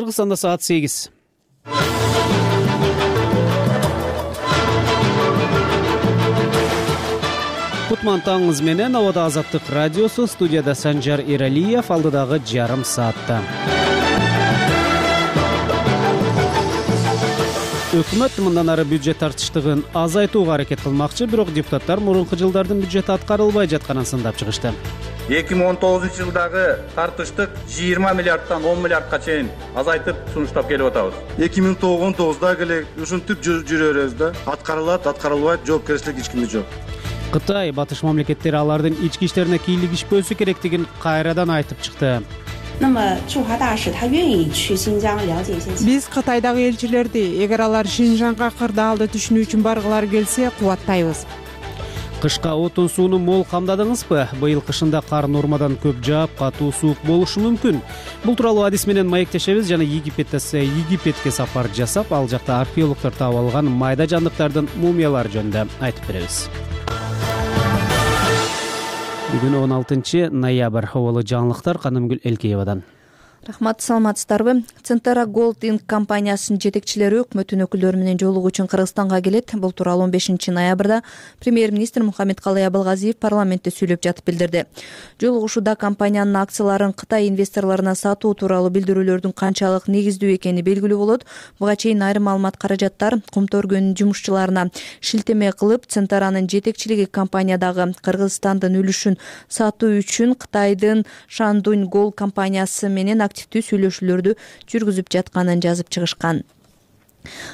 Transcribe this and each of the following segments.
Кыргызстанда саат 8. Кутман таңыңыз менен Абада Азаттык радиосу, студияда Санжар Эралиев, алдыдагы жарым саатта. Өкмөт мындан ары бюджет тартыштыгын азайтууга аракет кылмакчы, бирок депутаттар мурунку жылдардын бюджети аткарылбай жатканын сындап чыгышты. 2019-жылдагы тартыштык 20 миллиардтан 10 миллиардка чейин азайтып сунуштап келип атабыз. 2019-дагы эле ушинтип жүрөбүз да. Аткарылат, аткарылбайт, жоопкерчилик эч кимде жок. Кытай батыш мамлекеттери алардын ички иштерине кийлигишпөсү керектигин кайрадан айтып чыкты. Биз Кытайдагы элчилерди, эгер алар Шинжаңга кырдаалды түшүнүү үчүн баргылары келсе, кубаттайбыз. Кышка отун сууну мол камдадыңызбы? Быйыл кышында кар нормадан көп жаап, катуу суук болушу мүмкүн. Бул тууралуу адис менен маектешебиз жана Египетке сапар жасап, ал жакта археологдор таап алган майда жандыктардын мумиялары жөнүндө айтып беребиз. Бүгүн 16 ноябрь. Оболу жаңылыктар Канымгүл Элкеевадан. Рахмат, саламатсыздарбы? Центара Gold Inc компаниясынын жетекчилери өкмөттүн өкүлдөрү менен жолугуу үчүн Кыргызстанга келет. Бул тууралуу 15 ноябрда премьер-министр Мухаммедкалый Абылгазиев парламентте сүйлөп жатып билдирди. Жолугушууда компаниянын акцияларын Кытай инвесторлоруна сатуу тууралуу билдирүүлөрдүн канчалык негиздүү экени белгилүү болот. Буга чейин айрым маалымат каражаттар Кумту өргөнүн жумушчуларына шилтеме кылып, Центаранын жетекчилиги компаниядагы Кыргызстандын үлүшүн сатуу үчүн Кытайдын Шандунь Gold компаниясы менен активдүү сүйлөшүүлөрдү жүргүзүп жатканын жазып чыгышкан.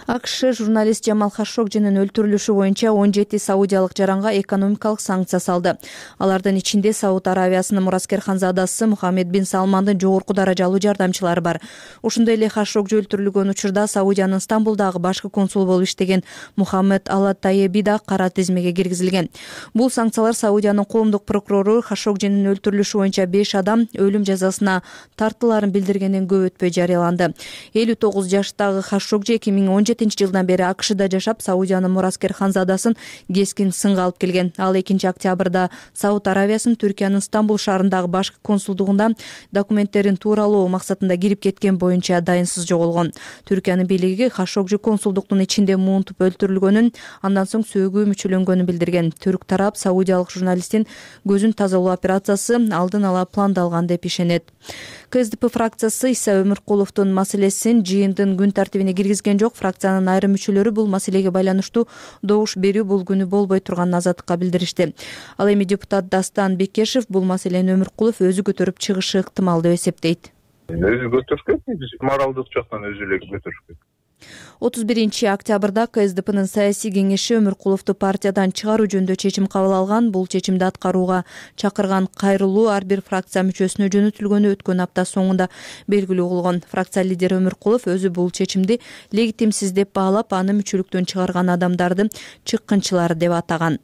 АКШ журналист Жамал Хашогжинин өлтүрүлүшү боюнча 17 саудиялык жаранга экономикалык санкция салды. Алардын ичинде Сауд Аравиясынын мураскер ханзадасы Мухаммед бин Салмандын жогорку даражалуу жардамчылары бар. Ошондой эле Хашогжи өлтүрүлгөн учурда Саудиянын Стамбулдагы башкы консулу болуп иштеген Мухаммед Алатаеби да кара тизмеге киргизилген. Бул санкциялар Саудиянын коомдук прокурору Хашогжинин өлтүрүлүшү боюнча 5 адам өлүм жазасына тартыларын билдиргенден көп өтпөй жарыяланды. 59 жаштагы Хашогжи 2017-жылдан бери АКШда жашап, Саудиянын мураскер ханзадасын кескин сынга алып келген. Ал 2 октябрда Сауд Аравиясынын Түркиянын Стамбул шаарындагы башкы консулдугунда документтерин тууралоо максатында кирип кеткен боюнча дайынсыз жоголгон. Түркиянын бийлиги Хашогжи консулдуктун ичинде муунтуп өлтүрүлгөнүн, андан соң сөөгү мүчөлөнгөнүн билдирген. Түрк тарап саудиялык журналисттин көзүн тазалоо операциясы алдын ала пландалган деп ишенет. КСДП фракциясы Иса Өмүркуловдун маселесин жыйындын күн тартибине киргизген жок. Фракциянын айрым мүчөлөрү бул маселеге байланыштуу добуш берүү бул күнү болбой турганын Азаттыкка билдиришти. Ал эми депутат Дастан Бекешев бул маселени Өмүркулов өзү көтөрүп чыгышы ыктымал деп эсептейт. Өзү көтөрүп биз моралдык жактан өзү эле көтөрүп 31 октябрда КСДПнын саясий кеңеши Өмүркуловду партиядан чыгаруу жөнүндө чечим кабыл алган. Бул чечимди аткарууга чакырган кайрылуу ар бир фракция мүчөсүнө жөнөтүлгөнү өткөн апта соңунда белгилүү болгон. Фракция лидери Өмүркулов өзү бул чечимди легитимсиз деп баалап, аны мүчөлүктөн чыгарган адамдарды чыккынчылар деп атаган.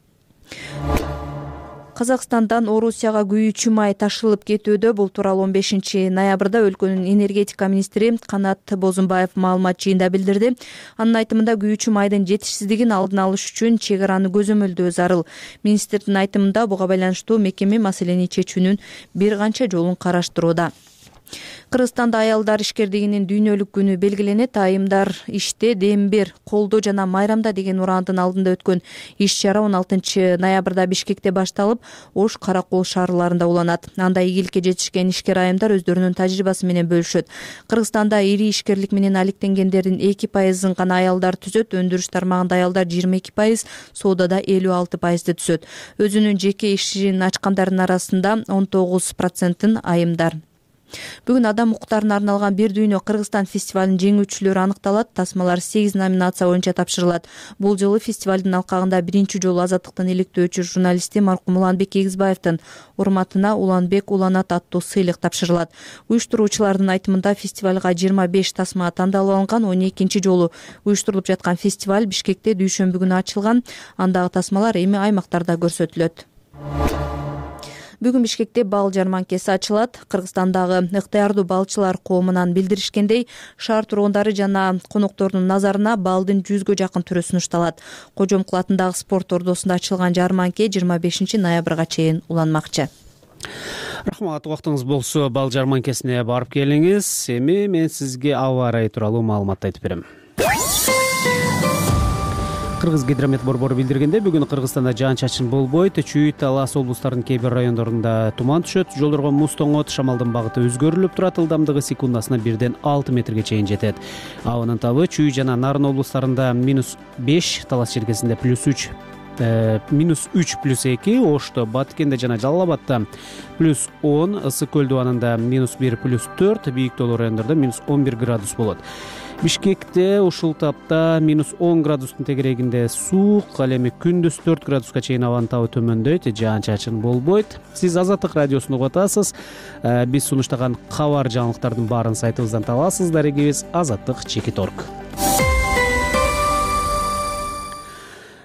Казакстандан Орусияга күйүүчү май ташылып кетүүдө. Бул тууралуу 15 ноябрда өлкөнүн энергетика министри Канат Бозумбаев маалымат жыйында билдирди. Анын айтымында күйүүчү майдын жетишсиздигин алдын алыш үчүн чек араны көзөмөлдөө зарыл. Министрдин айтымында буга байланыштуу мекеме маселени чечүүнүн бир канча жолун караштырууда. Кыргызстанда аялдар ишкердигинин дүйнөлүк күнү белгиленет. Айымдар иште, дембер, колдоо жана майрамда деген урандын алдында өткөн иш-чара 16 ноябрда Бишкекте башталып, Ош, Каракол шаарларында уланат. Анда ийгиликке жетишкен ишкер айымдар өздөрүнүн тажрыйбасы менен бөлүшөт. Кыргызстанда ири ишкерлик менен алектенгендердин 2% гана аялдар түзөт. Өндүрүш тармагында аялдар 22%, соодада 56% түзөт. Өзүнүн жеке ишин ачкандардын арасында 19% айымдар. Бүгүн адам укуктарына арналган Бир дүйнө Кыргызстан фестивалынын жеңүүчүлөрү аныкталат. Тасмалар 8 номинация боюнча тапшырылат. Бул жолу фестивалдын алкагында биринчи жолу Азаттыктын иликтөөчү журналисти маркум Уланбек Эгизбаевдин урматына Уланбек уланат аттуу сыйлык тапшырылат. Уюштуруучулардын айтымында фестивалга 25 тасма тандалып алынган. 12 жолу уюштурулуп жаткан фестиваль Бишкекте дүйшөмбү күнү ачылган. Андагы тасмалар эми аймактарда көрсөтүлөт. Бүгүн Бишкекте бал жарманкеси ачылат. Кыргызстандагы ыктыярдуу балчылар коомунан билдиришкендей, шаар тургундары жана коноктордун назарына балдын 100гө жакын түрү сунушталат. Кожомкул атындагы спорт ордосунда ачылган жарманке 25 ноябрга чейин уланмакчы. Рахмат, убактыңыз болсо бал жарманкесине барып келиңиз. Эми мен сизге аба ырайы тууралуу маалымат айтып берем. Кыргыз гидромет борбору билдиргендей, бүгүн Кыргызстанда жаан-чачын болбойт. Чүй, Талас облустарынын кээ бир райондорунда туман түшөт, жолдорго муз тоңот, шамалдын багыты өзгөрүлүп турат, ылдамдыгы секундасына 1-6 метрге чейин жетет. Абанын табы Чүй жана Нарын облустарында -5, Талас черкесинде +3, -3+2, Ошто, Баткенде жана Жалал абадда +10, Ысык көл дубанында -1, +4, Бийик тоолуу райондордо -11 градус болот. Бишкекте ушул тапта -10 градустун тегерегинде суук, ал эми күндүз 4 градуска чейин абанын табы төмөндөйт, жаан-чачын болбойт. Сиз Азаттык радиосун угуп атасыз. Биз сунуштаган кабар жаңылыктардын баарын сайтыбыздан табасыз. Дарегибиз azаттыk.org.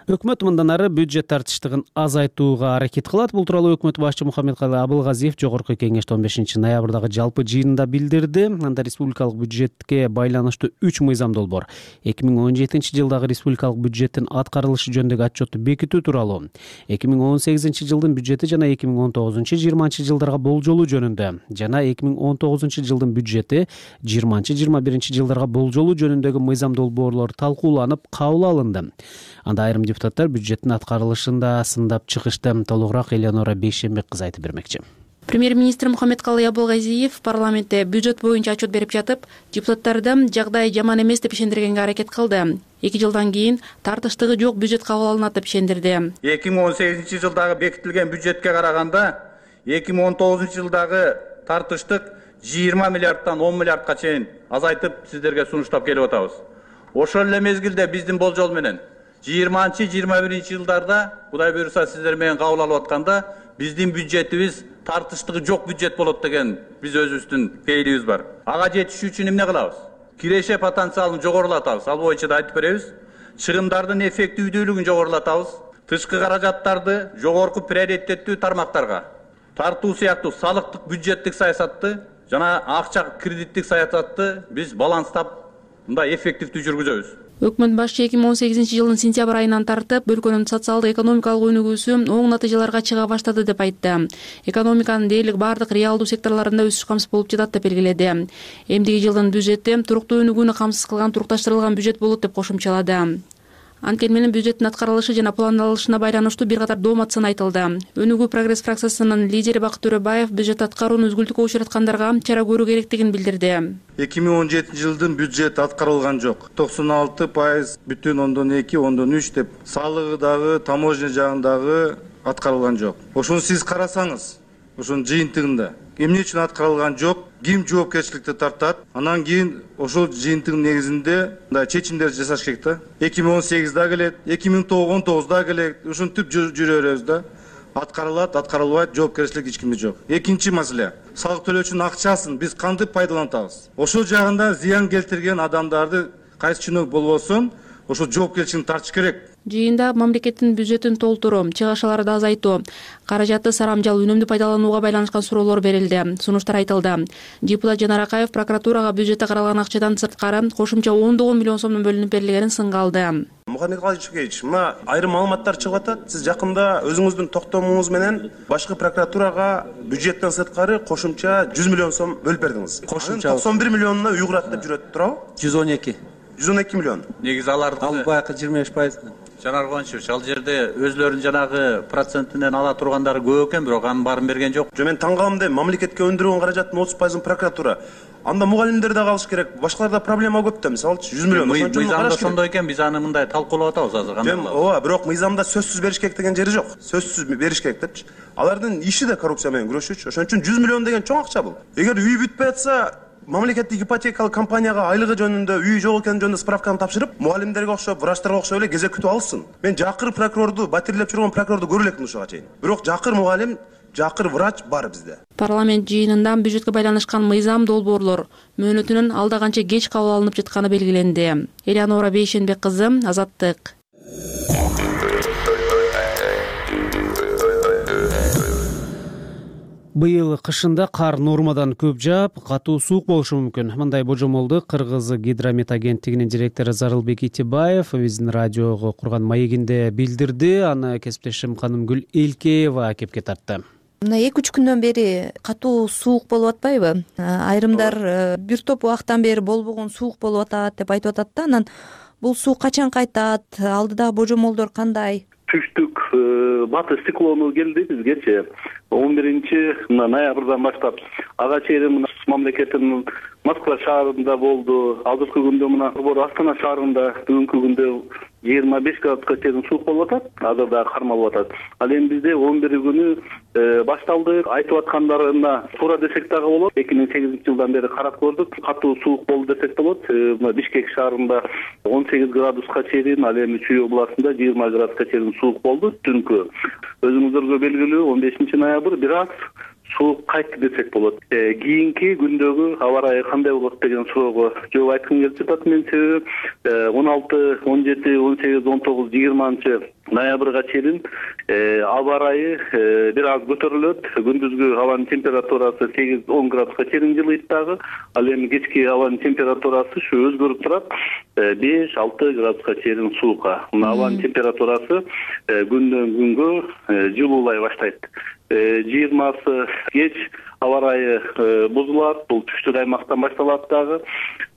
Өкмөт мындан ары бюджет тартыштыгын азайтууга аракет кылат. Бул тууралуу өкмөт башчы Мухаммедкалый Абылгазиев Жогорку кеңеште 15 ноябрдагы жалпы жыйынында билдирди. Анда республикалык бюджетке байланыштуу 3 мыйзам долбоор 2017 жылдагы республикалык бюджеттин аткарылышы жөнүндөгү отчетту бекитүү тууралуу, 2018 жылдын бюджети жана 2019-20 жылдарга болжолуу жөнүндө жана 2019 жылдын бюджети 20-21 жылдарга болжолуу жөнүндөгү мыйзам долбоорлор талкууланып кабыл алынды. Анда айрым депутаттар бюджеттин аткарылышында сындап чыгышты. Толугураак Элеонора Бейшембек кызы айтып бермекчи. Премьер-министр Мухаммедкалый Абылгазиев парламентте бюджет боюнча отчет берип жатып, депутаттарды жагдай жаман эмес деп ишендиргенге аракет кылды. 2 жылдан кийин тартыштыгы жок бюджет кабыл алынат деп ишендирди. 2018 жылдагы бекитилген бюджетке караганда 2019 жылдагы тартыштык 20 миллиардтан 10 миллиардка чейин азайтып сиздерге сунуштап келип атабыз. Ошол эле мезгилде биздин болжол менен 20-21 жылдарда Кудай буйруса сиздер менен кабыл алып атканда биздин бюджетибиз тартыштыгы жок бюджет болот деген биз өзүбүздүн пейилибиз бар. Ага жетишүү үчүн эмне кылабыз? Киреше потенциалын жогорулатабыз. Ал боюнча да айтып беребиз. Чыгымдардын эффективдүүлүгүн жогорулатабыз. Тышкы каражаттарды жогорку приоритеттүү тармактарга тартуу сыяктуу салыктык бюджеттик саясатты жана акча кредиттик саясатты биз баланстап мындай эффективдүү жүргүзөбүз. Өкмөт башчы 2018 жылдын сентябрь айынан тартып өлкөнүн социалдык экономикалык өнүгүүсү оң натыйжаларга чыга баштады деп айтты. Экономиканын дээрлик бардык реалдуу секторлорунда өсүш камсыз болуп жатат деп белгиледи. Эмдиги жылдын бюджети туруктуу өнүгүүнү камсыз кылган турукташтырылган бюджет болот деп кошумчалады. Анткени менен бюджеттин аткарылышы жана пландалышына байланыштуу бир катар доомат сын айтылды. Өнүгүү прогресс фракциясынын лидери Бакыт Төрөбаев бюджет аткарууну үзгүлтүккө учураткандарга чара көрүү керектигин билдирди. 2017 жылдын бюджет аткарылган жок. 96,2,3 деп салыгы дагы, таможня жагындагы аткарылган жок. Ошону сиз карасаңыз, ошонун жыйынтыгында эмне үчүн аткарылган жок, ким жоопкерчиликти тартат, анан кийин ошол жыйынтыгын негизинде мындай чечимдер жасаш керек да. 2018 келет, 2019 келет, ушинтип жүрө беребиз да. Аткарылат, аткарылбайт, жоопкерчилик эч кимде жок. Экинчи маселе, салык төлөөчүнүн акчасын биз кантип пайдалантабыз? Ошол жагында зыян келтирген адамдарды кайсы чиновник болбосун, ошол жоопкерчиликти тартыш керек. Жыйында мамлекеттин бюджетин толтуруу, чыгашаларды азайтуу, каражатты сарамжал үнөмдүү пайдаланууга байланышкан суроолор берилди, сунуштар айтылды. Депутат Жанар Акаев прокуратурага бюджетте каралган акчадан сырткары кошумча 10 миллион сомдон бөлүнүп берилгенин сынга алды. Мухаммедкалый Чукеевич, мына айрым маалыматтар чыгып атат. Сиз жакында өзүңүздүн токтомуңуз менен башкы прокуратурага бюджеттен сырткары кошумча 100 миллион сом бөлүп бердиңиз. Кошумча 91 миллионуна уйгурат деп жүрөт, туурабы? 112 миллион. Негизи аларды ал баягы 25%. Жанар Кубанычевич, ал жерде өзлөрүнүн жанагы процентинен ала тургандары көп экен, бирок анын баарын берген жок. Мен таң калам да, мамлекетке өндүргөн каражаттын 30%-ын прокуратура. Анда мугалимдер да калыш керек. Башкаларда проблема көп да, мисалы 100 миллион. Мыйзамда ошондой экен, биз аны мындай талкуулап атабыз азыр. Ооба, бирок мыйзамда сөзсүз бериш керек деген жери жок. Сөзсүз бериш керек депчи. Алардын иши да коррупция менен күрөшүүчү. Ошон үчүн 100 миллион деген чоң акча бул. Эгер үй бүтпөй атса, мамлекеттик ипотекалык компанияга айлыгы жөнүндө, үй жок экени жөнүндө справканы тапшырып, мугалимдерге окшоп, врачтарга окшоп эле кезек күтүп алсын. Мен жакыр прокурорду, батирлеп жүргөн прокурорду көрө элекмин ушуга чейин. Бирок жакыр мугалим, жакыр врач бар бизде. Парламент жыйынында бюджетке байланышкан мыйзам долбоорлор мөөнөтүнүн алда канча кеч кабыл алынып жатканы белгиленди. Элеонора Бейшенбек кызы, Азаттык. Быйыл кышында кар нормадан көп жаап, катуу суук болушу мүмкүн. Мындай божомолду Кыргыз гидромет агенттигинин директору Зарылбек Итибаев биздин радиого курган маегинде билдирди. Аны кесиптешим Канымгүл Элкеева кепке тартты. Мына 2-3 күндөн бери катуу суук болуп атпайбы? Айрымдар бир топ убакыттан бери болбогон суук болуп атат деп айтып атат да. Анан бул суук качан кайтат? Алдыдагы божомолдор кандай? Түштүк батыш циклону келди бизгечи 11-ноябрдан баштап ага чейин мамлекеттин Москва шаарында болду. Азыркы күндө мына Астана шаарында бүгүнкү күндө 25 градуска чейин суук болуп атат. Азыр дагы кармалып атат. Ал эми бизде 11 күнү башталды. Айтып аткандарына туура десек дагы болот. 2008-жылдан бери карап көрдүк. Катуу суук болду десек болот. Бишкек шаарында 18 градуска чейин, ал эми Чүй областында 20 градуска чейин суук болду түнкү. Өзүңүздөргө белгилүү 15-ноябрь бир аз суук кайтты десек болот. Кийинки күндөгү аба ырайы кандай болот деген суроого жооп айткым келип жатат. Мен себеби 16, 17, 18, 19, 20 ноябрга чейин аба ырайы бир аз көтөрүлөт. Күндүзгү абанын температурасы 8-10 градуска чейин жылыйт дагы. Ал эми кечки абанын температурасы ушу өзгөрүп турат. 5-6 градуска чейин суукка. Абанын температурасы күндөн күнгө жылуулай баштайт. 20 кеч аба ырайы бузулат. Бул түштүк аймактан башталат дагы.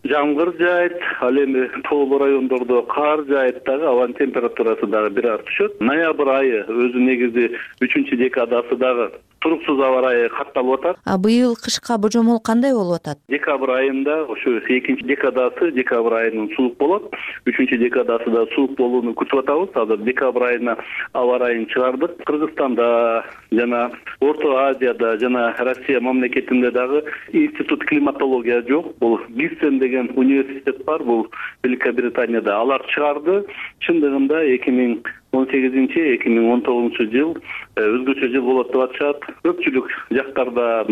Жамгыр жаайт, ал эми тоолуу райондордо кар жаайт дагы, абанын температурасы дагы бир аз түшөт. Ноябрь айы өзү негизи 3-декадасы дагы туруксуз аба ырайы катталып атат. Быйыл кышка божомол кандай болуп атат? Декабрь айында ошо 2-декадасы декабрь айынын суук болот. 3-декадасында суук болууну күтүп атабыз. Азыр декабрь айына аба ырайын чыгардык. Кыргызстанда жана Орто Азияда жана Россия мамлекетинде дагы институт климатология жок. Бул Гиссен деген университет бар, бул Великобританияда. Алар чыгарды. Чындыгында 2018-2019 жыл өзгөчө жыл болот деп атышат. Көпчүлүк жактарда,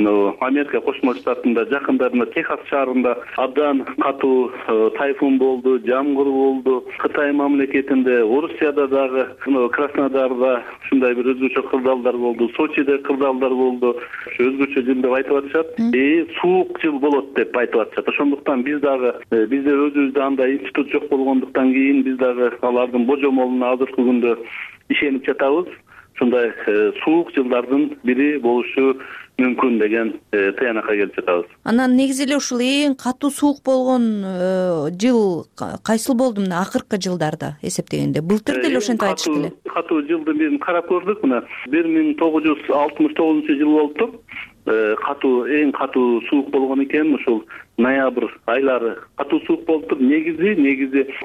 Америка Кошмо Штатында, жакындарында, Техас шаарында абдан катуу тайфун болду, жамгыр болду. Кытай мамлекетинде, Орусияда дагы, Краснодарда ушундай бир өзгөчө кырдаалдар болду, Сочиде кырдаалдар болду. Өзгөчө жыл деп айтып атышат. Суук жыл болот деп айтып атышат. Ошондуктан биз дагы бизде өзүбүздө андай институт жок болгондуктан кийин биз дагы алардын божомолуна азыркы күндө ишенип жатабыз. Ушундай суук жылдардын бири болушу мүмкүн деген тыянакка келип жатабыз. Анан негизи эле ушул эң катуу суук болгон жыл кайсыл болду мына акыркы жылдарда эсептегенде? Былтыр деле ошентип айтышты эле. Катуу жылдын бирин карап көрдүк. Мына 1969-жыл болуптур. Эң катуу суук болгон экен. Ушул ноябрь айлары катуу суук болуптур. Негизи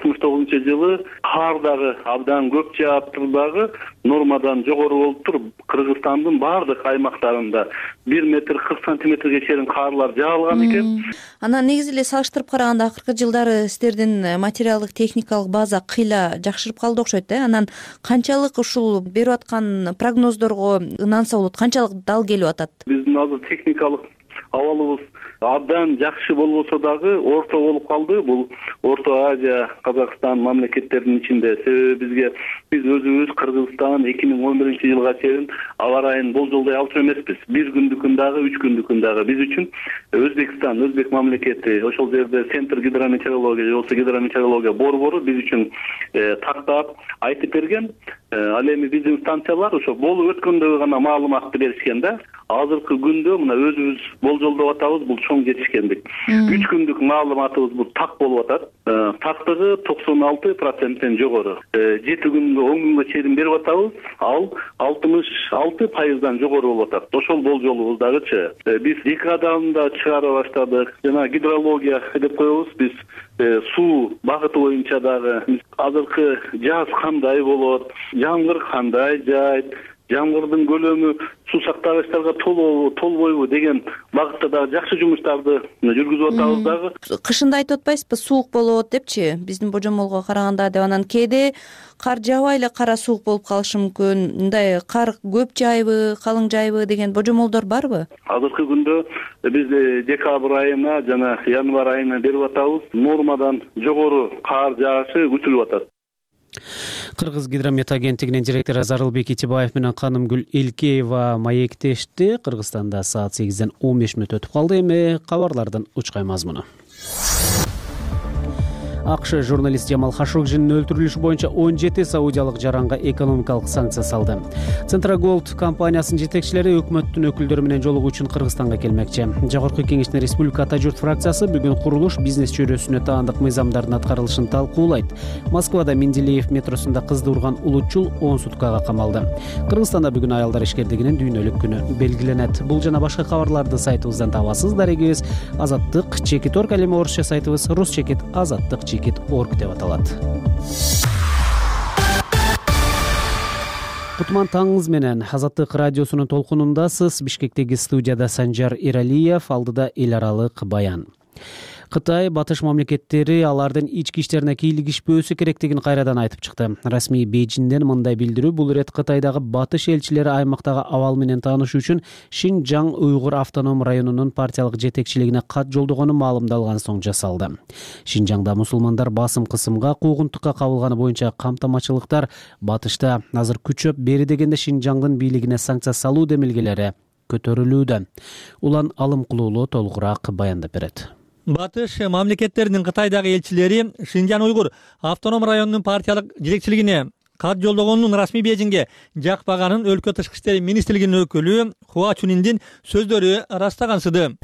69-жылы кар дагы абдан көп жааптыр дагы, нормадан жогору болуптур. Кыргызстандын баардык аймактарында 1 метр 40 сантиметрге чейин карлар жаалган экен. Анан негизи эле салыштырып караганда акыркы жылдары сиздердин материалдык техникалык база кыйла жакшырып калды окшойт да. Анан канчалык ушул берип аткан прогноздорго ынанса болот, канчалык дал келип атат? Биздин азыр техникалык абалыбыз абдан жакшы болбосо дагы орто болуп калды. Бул Орто Азия, Казакстан мамлекеттеринин ичинде. Себеби биз өзүбүз Кыргызстан 2011-жылга чейин аба ырайын болжолдой алчу эмеспиз. 1 күндүкүн дагы, 3 күндүкүн дагы. Биз үчүн Өзбекстан, Өзбек мамлекети, ошол жерде Центр гидрометеорология, жолсу гидрометеорология борбору биз үчүн тактап айтып берген. Ал эми биздин станциялар ошо болуп өткөндөгү гана маалыматты беришкен да. Азыркы күндө мына өзүбүз болжолдоп атабыз, бул чоң жетишкендик. 3 күндүк маалыматыбыз бул так болуп атат. Тактыгы 96%тен жогору. 7 күнгө 10 күнгө чейин берип атабыз. Ал 66%дан жогору болуп атат. Ошол болжолубуз дагычы. Биз декадалында чыгара баштадык. Жана гидрология деп коебуз. Биз суу багыты боюнча дагы азыркы жаз кандай болот, жамгыр кандай жаайт, жамгырдын көлөмү суу сактагычтарга толбойбу деген багытта дагы жакшы жумуштарды жүргүзүп атабыз дагы. Кышында айтып атпайсызбы, суук болот депчи, биздин божомолго караганда деп. Анан кээде кар жаабай эле кара суук болуп калышы мүмкүн. Мындай кар көп жайбы, калың жайбы деген божомолдор барбы? Азыркы күндө биз декабрь айына жана январь айына берип атабыз. Нормадан жогору кар жаашы күтүлүп атат. Кыргыз гидромет агенттигинин директору Зарылбек Итибаев менен Канымгүл Элкеева маектешти. Кыргызстанда саат 8-ден 15 мүнөт өтүп калды. Эми кабарлардын учкай мазмуну. АКШ журналист Жамал Хашогжинин өлтүрүлүшү боюнча 17 саудиялык жаранга экономикалык санкция салды. Центраголд компаниясынын жетекчилери өкмөттүн өкүлдөрү менен жолугуу үчүн Кыргызстанга келмекчи. Жогорку кеңештин Республика Ата журт фракциясы бүгүн курулуш бизнес чөйрөсүнө таандык мыйзамдардын аткарылышын талкуулайт. Москвада Менделеев метросунда кызды урган улутчул 10 суткага камалды. Кыргызстанда бүгүн аялдар ишкердигинин дүйнөлүк күнү белгиленет. Бул жана башка кабарларды сайтыбыздан табасыз. Дарегибиз Азаттык Чекит.орг, ал эми орусча сайтыбыз ruschekit.azattik.org деп аталат. Кутман таңыңыз менен Азаттык радиосунун толкунундасыз. Бишкектеги студияда Санжар Эралиев, алдыда эл аралык баян. Кытай батыш мамлекеттери алардын ички иштерине кийлигишпөөсү керектигин кайрадан айтып чыкты. Расмий Бейжиңден мындай билдирүү бул ирет Кытайдагы батыш элчилери аймактагы абал менен таанышуу үчүн Шинжаң уйгур автоном районунун партиялык жетекчилигине кат жолдогону маалымдалган соң жасалды. Шинжаңда мусулмандар басым кысымга, куугунтукка кабылганы боюнча камтамачылыктар батышта азыр күчөп, бери дегенде Шинжаңдын бийлигине санкция салуу демилгелери көтөрүлүүдө. Улан Алым Кулуулу толугураак баяндап берет. Батыш мамлекеттеринин Кытайдагы элчилери Шинжаң уйгур автоном районунун партиялык жетекчилигине кат жолдогонун расмий Бейжиңге жакпаганын өлкө тышкы иштер министрлигинин өкүлү Хуа Чуниндин сөздөрү ырастагансыды.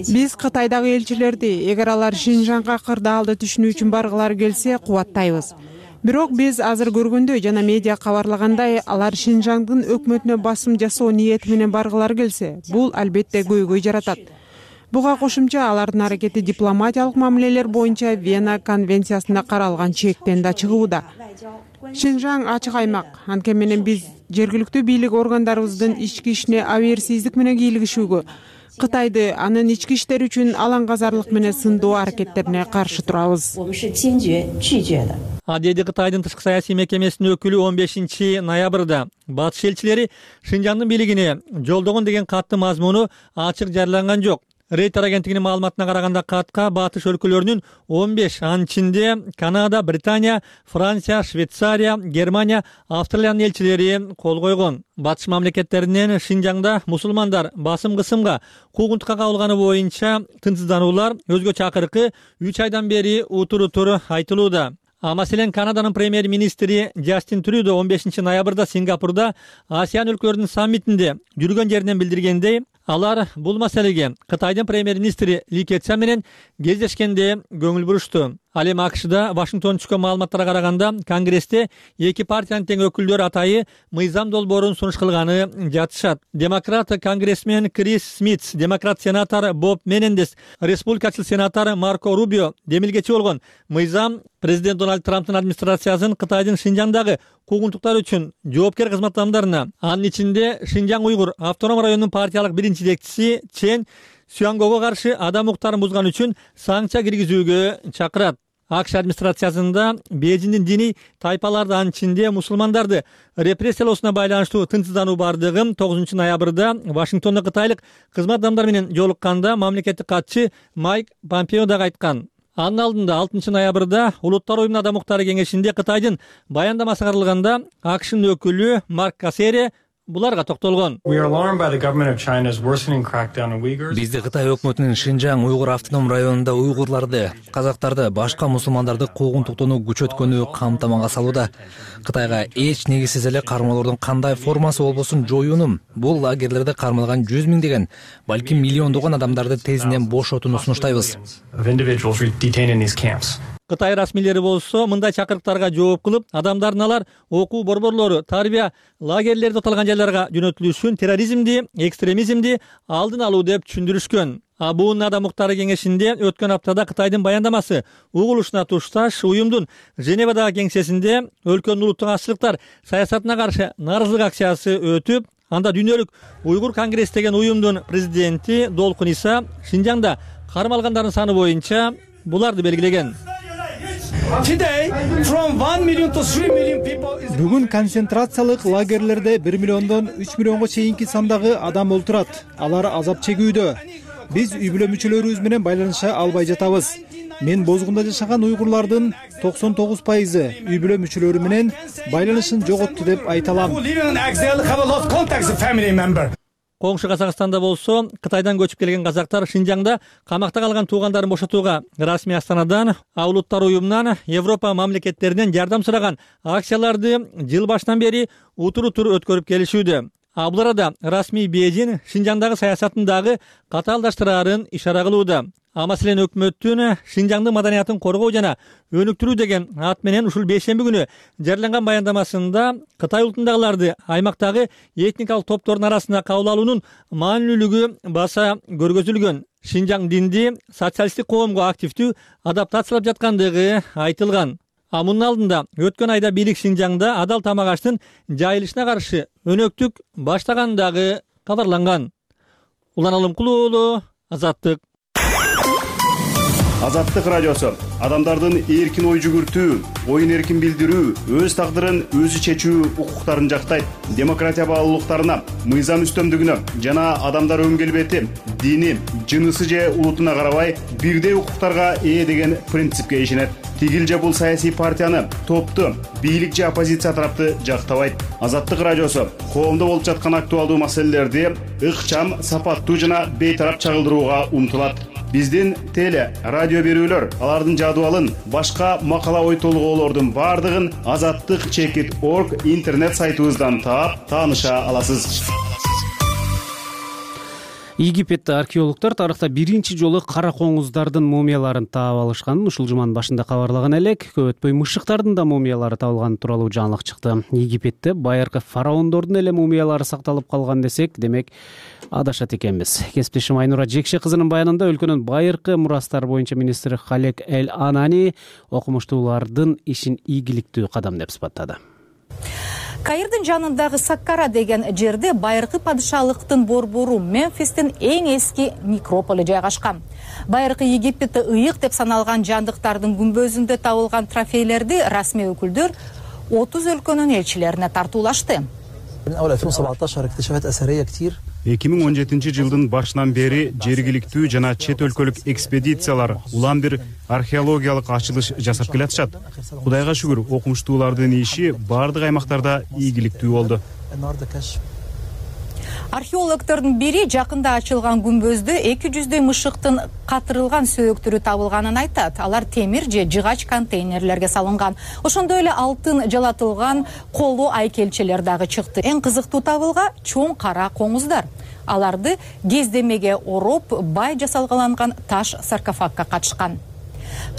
Биз Кытайдагы элчилерди эгер алар Шинжаңга кырдаалды түшүнүү үчүн баргылары келсе кубаттайбыз. Бирок биз азыр көргөндөй жана медиа кабарлагандай, алар Шинжаңдын өкмөтүнө басым жасоо ниети менен баргылары келсе, бул албетте көйгөй жаратат. Буга кошумча алардын аракети дипломатиялык мамилелер боюнча Вена конвенциясында каралган чектен да чыгууда. Шинжаң ачык аймак, анткени менен биз жергиликтүү бийлик органдарыбыздын ички ишине абийирсиздик менен кийлигишүүгө, Кытайды анын ички иштери үчүн алаңгазарлык менен сындоо аракеттерине каршы турабыз. Деди Кытайдын тышкы саясий мекемесинин өкүлү 15 ноябрда батыш элчилери Шинжаңдын бийлигине жолдогон деген каттын мазмуну ачык жарыяланган жок. Рейтер агенттигинин маалыматына караганда катка батыш өлкөлөрүнүн 15, анын ичинде Канада, Британия, Франция, Швейцария, Германия, Австралиянын элчилери кол койгон. Батыш мамлекеттеринен Шинжаңда мусулмандар басым кысымга, куугунтукка кабылганы боюнча тынчсыздануулар өзгөчө акыркы 3 айдан бери утур айтылууда. Маселен, Канаданын премьер-министри Джастин Трюдо 15 ноябрда Сингапурда Асиян өлкөлөрүнүн саммитинде жүргөн жеринен билдиргендей, алар бул маселеге Кытайдын премьер-министри Ли Кечан менен кездешкенде көңүл бурушту. Ал эми АКШда Вашингтон түшкөн маалыматтарга караганда Конгрессте эки партиянын тең өкүлдөрү атайы мыйзам долбоорун сунуш кылганы жатышат. Демократ конгрессмен Крис Смит, демократ сенатор Боб Менендес, республикачыл сенатор Марко Рубио демилгечи болгон мыйзам президент Дональд Трамптын администрациясын Кытайдын Шинжаңдагы куугунтуктар үчүн жоопкер кызмат адамдарына, анын ичинде Шинжаң уйгур автоном районунун партиялык биринчи жетекчиси Чен Сюангого каршы адам укуктарын бузган үчүн санкция киргизүүгө чакырат. АКШ администрациясында Бейжиңдин диний тайпаларды, анын ичинде мусулмандарды репрессиялоосуна байланыштуу тынчсыздануу бардыгы 9 ноябрда Вашингтондо кытайлык кызмат адамдары менен жолукканда мамлекеттик катчы Майк Помпео дагы айткан. Анын алдында 6 ноябрда Улуттар уюмунун адам укуктары кеңешинде Кытайдын баяндамасы каралганда АКШнын өкүлү Марк Кассери буларга токтолгон. Бизди Кытай өкмөтүнүн Шинжаң уйгур автоном районунда уйгурларды, казактарды, башка мусулмандарды куугунтуктоону күчөткөнү камтамага салууда. Кытайга эч негизсиз эле кармоолордун кандай формасы болбосун жоюуну, бул лагерлерде кармалган 100 миңдеген, балким миллиондогон адамдарды тезинен бошотууну сунуштайбыз. Кытай расмийлери болсо мындай чакырыктарга жооп кылып, адамдардын алар окуу борборлору, тарбия лагерлерде аталган жайларга жөнөтүлүшүн терроризмди, экстремизмди алдын алуу деп түшүндүрүшкөн. АБУнун адам укуктары кеңешинде өткөн аптада Кытайдын баяндамасы угулушуна тушташ уюмдун Женевадагы кеңсесинде өлкөнүн улуттук азчылыктар саясатына каршы нааразылык акциясы өтүп, анда дүйнөлүк уйгур конгресс деген уюмдун президенти Долкун Иса Шинжаңда кармалгандардын саны боюнча буларды белгилеген. Бүгүн концентрациялык лагерлерде 1 миллиондон 3 миллионго чейинки сандагы адам олтурат. Алар азап чегүүдө. Биз үй бүлө мүчөлөрүбүз менен байланыша албай жатабыз. Мен Бозгунда жашаган уйгурлардын 99% үй бүлө мүчөлөрү менен байланышын жоготту деп айта алам. Коңшу Казакстанда болсо Кытайдан көчүп келген казактар Шинжаңда камакта калган туугандарын бошотууга расмий Астанадан, Ал Улуттар уюмунан, Европа мамлекеттеринен жардам сураган акцияларды жыл башынан бери утур өткөрүп келишүүдө. Бул арада расмий Бейжин Шинжаңдагы саясатын дагы катаалдаштырарын ишара кылууда. Маселен өкмөттүн Шинжаңдын маданиятын коргоо жана өнүктүрүү деген ат менен ушул бейшемби күнү жарыяланган баяндамасында Кытай улутундагыларды аймактагы этникалык топтордун арасында кабыл алуунун маанилүүлүгү баса көргөзүлгөн. Шинжаң динди социалисттик коомго активдүү адаптациялап жаткандыгы айтылган. Мунун алдында өткөн айда бийлик Шинжаңда адал тамак аштын жайылышына каршы өнөктүк баштагандыгы кабарланган. Улан Алымкулуу уулу, Азаттык. Азаттык радиосу адамдардын эркин ой жүгүртүү, оюн эркин билдирүү, өз тагдырын өзү чечүү укуктарын жактайт. Демократия баалуулуктарына, мыйзам үстөмдүгүнө жана адамдар өң келбети, дини, жынысы же улутуна карабай бирдей укуктарга ээ деген принципке ишенет. Тигил же бул саясий партияны, топту, бийлик же оппозиция тарапты жактабайт. Азаттык радиосу коомдо болуп жаткан актуалдуу маселелерди ыкчам, сапаттуу жана бейтарап чагылдырууга умтулат. Биздин теле, радио берүүлөр, алардын жадыбалын, башка макала ой толгоолордун бардыгын azattik.org интернет сайтыбыздан таап, тааныша аласыз. Египетте археологдор тарыхта биринчи жолу кара коңуздардын мумияларын таап алышканын ушул жуманын башында кабарлаган элек. Көп өтпөй мышыктардын да мумиялары табылганы тууралуу жаңылык чыкты. Египетте байыркы фараондордун эле мумиялары сакталып калган десек, демек адашат экенбиз. Кесиптешим Айнура Жекше кызынын баянында өлкөнүн байыркы мурастары боюнча министри Халек Эль Анани окумуштуулардын ишин ийгиликтүү кадам деп сыпаттады. Каирдин жанындагы Саккара деген жерде байыркы падышалыктын борбору Мемфистин эң эски некрополи жайгашкан. Байыркы Египетте ыйык деп саналган жандыктардын күмбөзүндө табылган трофейлерди расмий өкүлдөр 30 өлкөнүн элчилерине тартуулашты. 2017 жылдын башынан бери жергиликтүү жана чет өлкөлүк экспедициялар улам бир археологиялык ачылыш жасап келатышат. Кудайга шүгүр, окумуштуулардын иши бардык аймактарда ийгиликтүү болду. Археологдордун бири жакында ачылган күмбөздө 200дөй мышыктын катырылган сөөктөрү табылганын айтат. Алар темир же жыгач контейнерлерге салынган. Ошондой эле алтын жалатылган колу айкелчелер дагы чыкты. Эң кызыктуу табылга чоң кара коңуздар. Аларды кездемеге ороп, бай жасалгаланган таш саркофагга катышкан.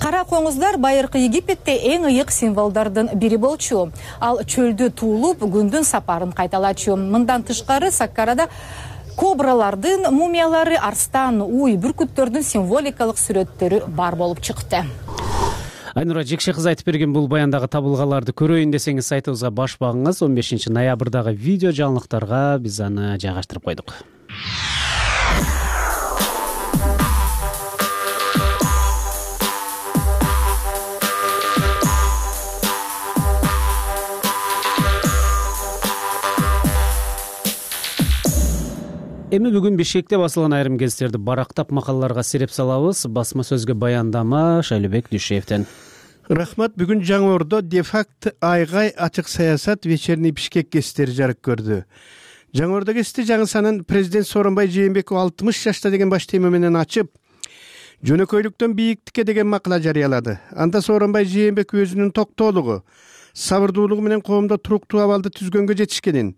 Кара коңуздар байыркы Египетте эң ыйык символдордун бири болчу. Ал чөлдө туулуп, күндүн сапарын кайталачу. Мындан тышкары Саккарада кобралардын мумиялары, арстан, уй, бүркүттөрдүн символикалык сүрөттөрү бар болуп чыкты. Айнура Жекше кызы айтып берген бул баяндагы табылгаларды көрөйүн десеңиз сайтыбызга баш багыңыз. 15 ноябрдагы видео жаңылыктарга биз аны жайгаштырып койдук. Эми бүгүн Бишкекте басылган айрым гезиттерди барактап макалаларга сиреп салабыз. Басма сөзгө баяндама Шайлыбек Дүйшеевден. Рахмат. Бүгүн Жаңы Ордо де-факт айгай ачык саясат вечерний Бишкек гезиттери жарык көрдү. Жаңы Ордо гезити жаңы санын президент Сооронбай Жээнбеков 60 жашта деген баш тема менен ачып, жөнөкөйлүктөн бийиктикке деген макала жарыялады. Анда Сооронбай Жээнбеков өзүнүн токтоолугу, сабырдуулугу менен коомдо туруктуу абалды түзгөнгө жетишкенин,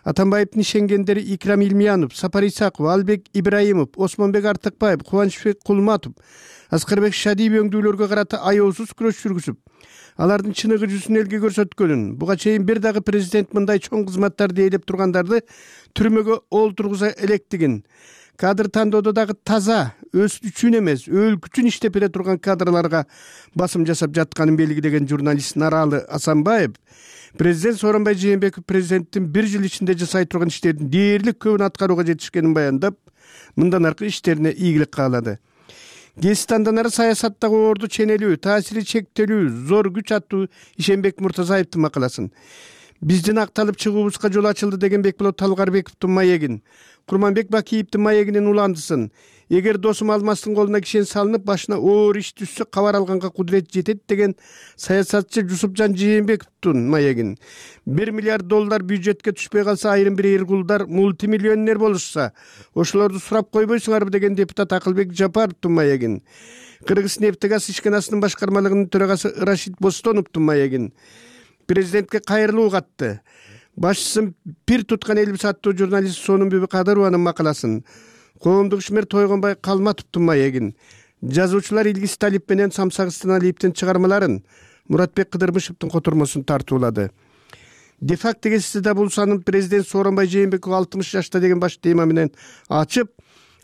Атамбаевдин ишенгендери Икрам Илмиянов, Сапар Исаков, Албек Ибраимов, Осмонбек Артыкбаев, Кубанычбек Кулматов, Аскарбек Шадиев өңдүүлөргө карата аеосуз күрөш жүргүзүп, алардын чыныгы жүзүн элге көрсөткөнүн, буга чейин бир дагы президент мындай чоң кызматтарды ээлеп тургандарды түрмөгө олтургуза электигин, кадр тандоодо дагы таза, өз үчүн эмес, өлкө үчүн иштеп бере турган кадрларга басым жасап жатканын белгилеген журналист Наралы Асанбаев президент Сооронбай Жээнбеков президенттин бир жыл ичинде жасай турган иштердин дээрлик көбүн аткарууга жетишкенин баяндап, мындан аркы иштерине ийгилик каалады. Гезит андан ары саясаттагы орду ченелүү, таасири чектелүү, зор күч аттуу Ишенбек Муртазаевдин макаласын, биздин акталып чыгуубузга жол ачылды деген Бекболот Талгарбековдун маегин, Курманбек Бакиевдин маегинин уландысын, эгер досум Алмастын колуна кишен салынып башына оор иш түшсө кабар алганга кудурет жетет деген саясатчы Жусупжан Жээнбековдун маегин, $1 миллиард бюджетке түшпөй калса айрым бир эркулдар мультимиллионер болушса ошолорду сурап койбойсуңарбы деген депутат Акылбек Жапаровдун маегин, Кыргыз нефтегаз ишканасынын башкармалыгынын төрагасы Рашид Бостоновдун маегин, президентке кайрылуу катты, башчысын пир туткан элбиз аттуу журналист Сонунбүбү Кадырованын макаласын, коомдук ишмер Тойгонбай Калматовдун маегин, жазуучулар Илгиз Талип менен Самсак Станалиевдин чыгармаларын, Муратбек Кыдырбышевдин котурмосун тартуулады. Де-факто гезитиде бул санын президент Сооронбай Жээнбеков 60 жашта деген баш тема менен ачып,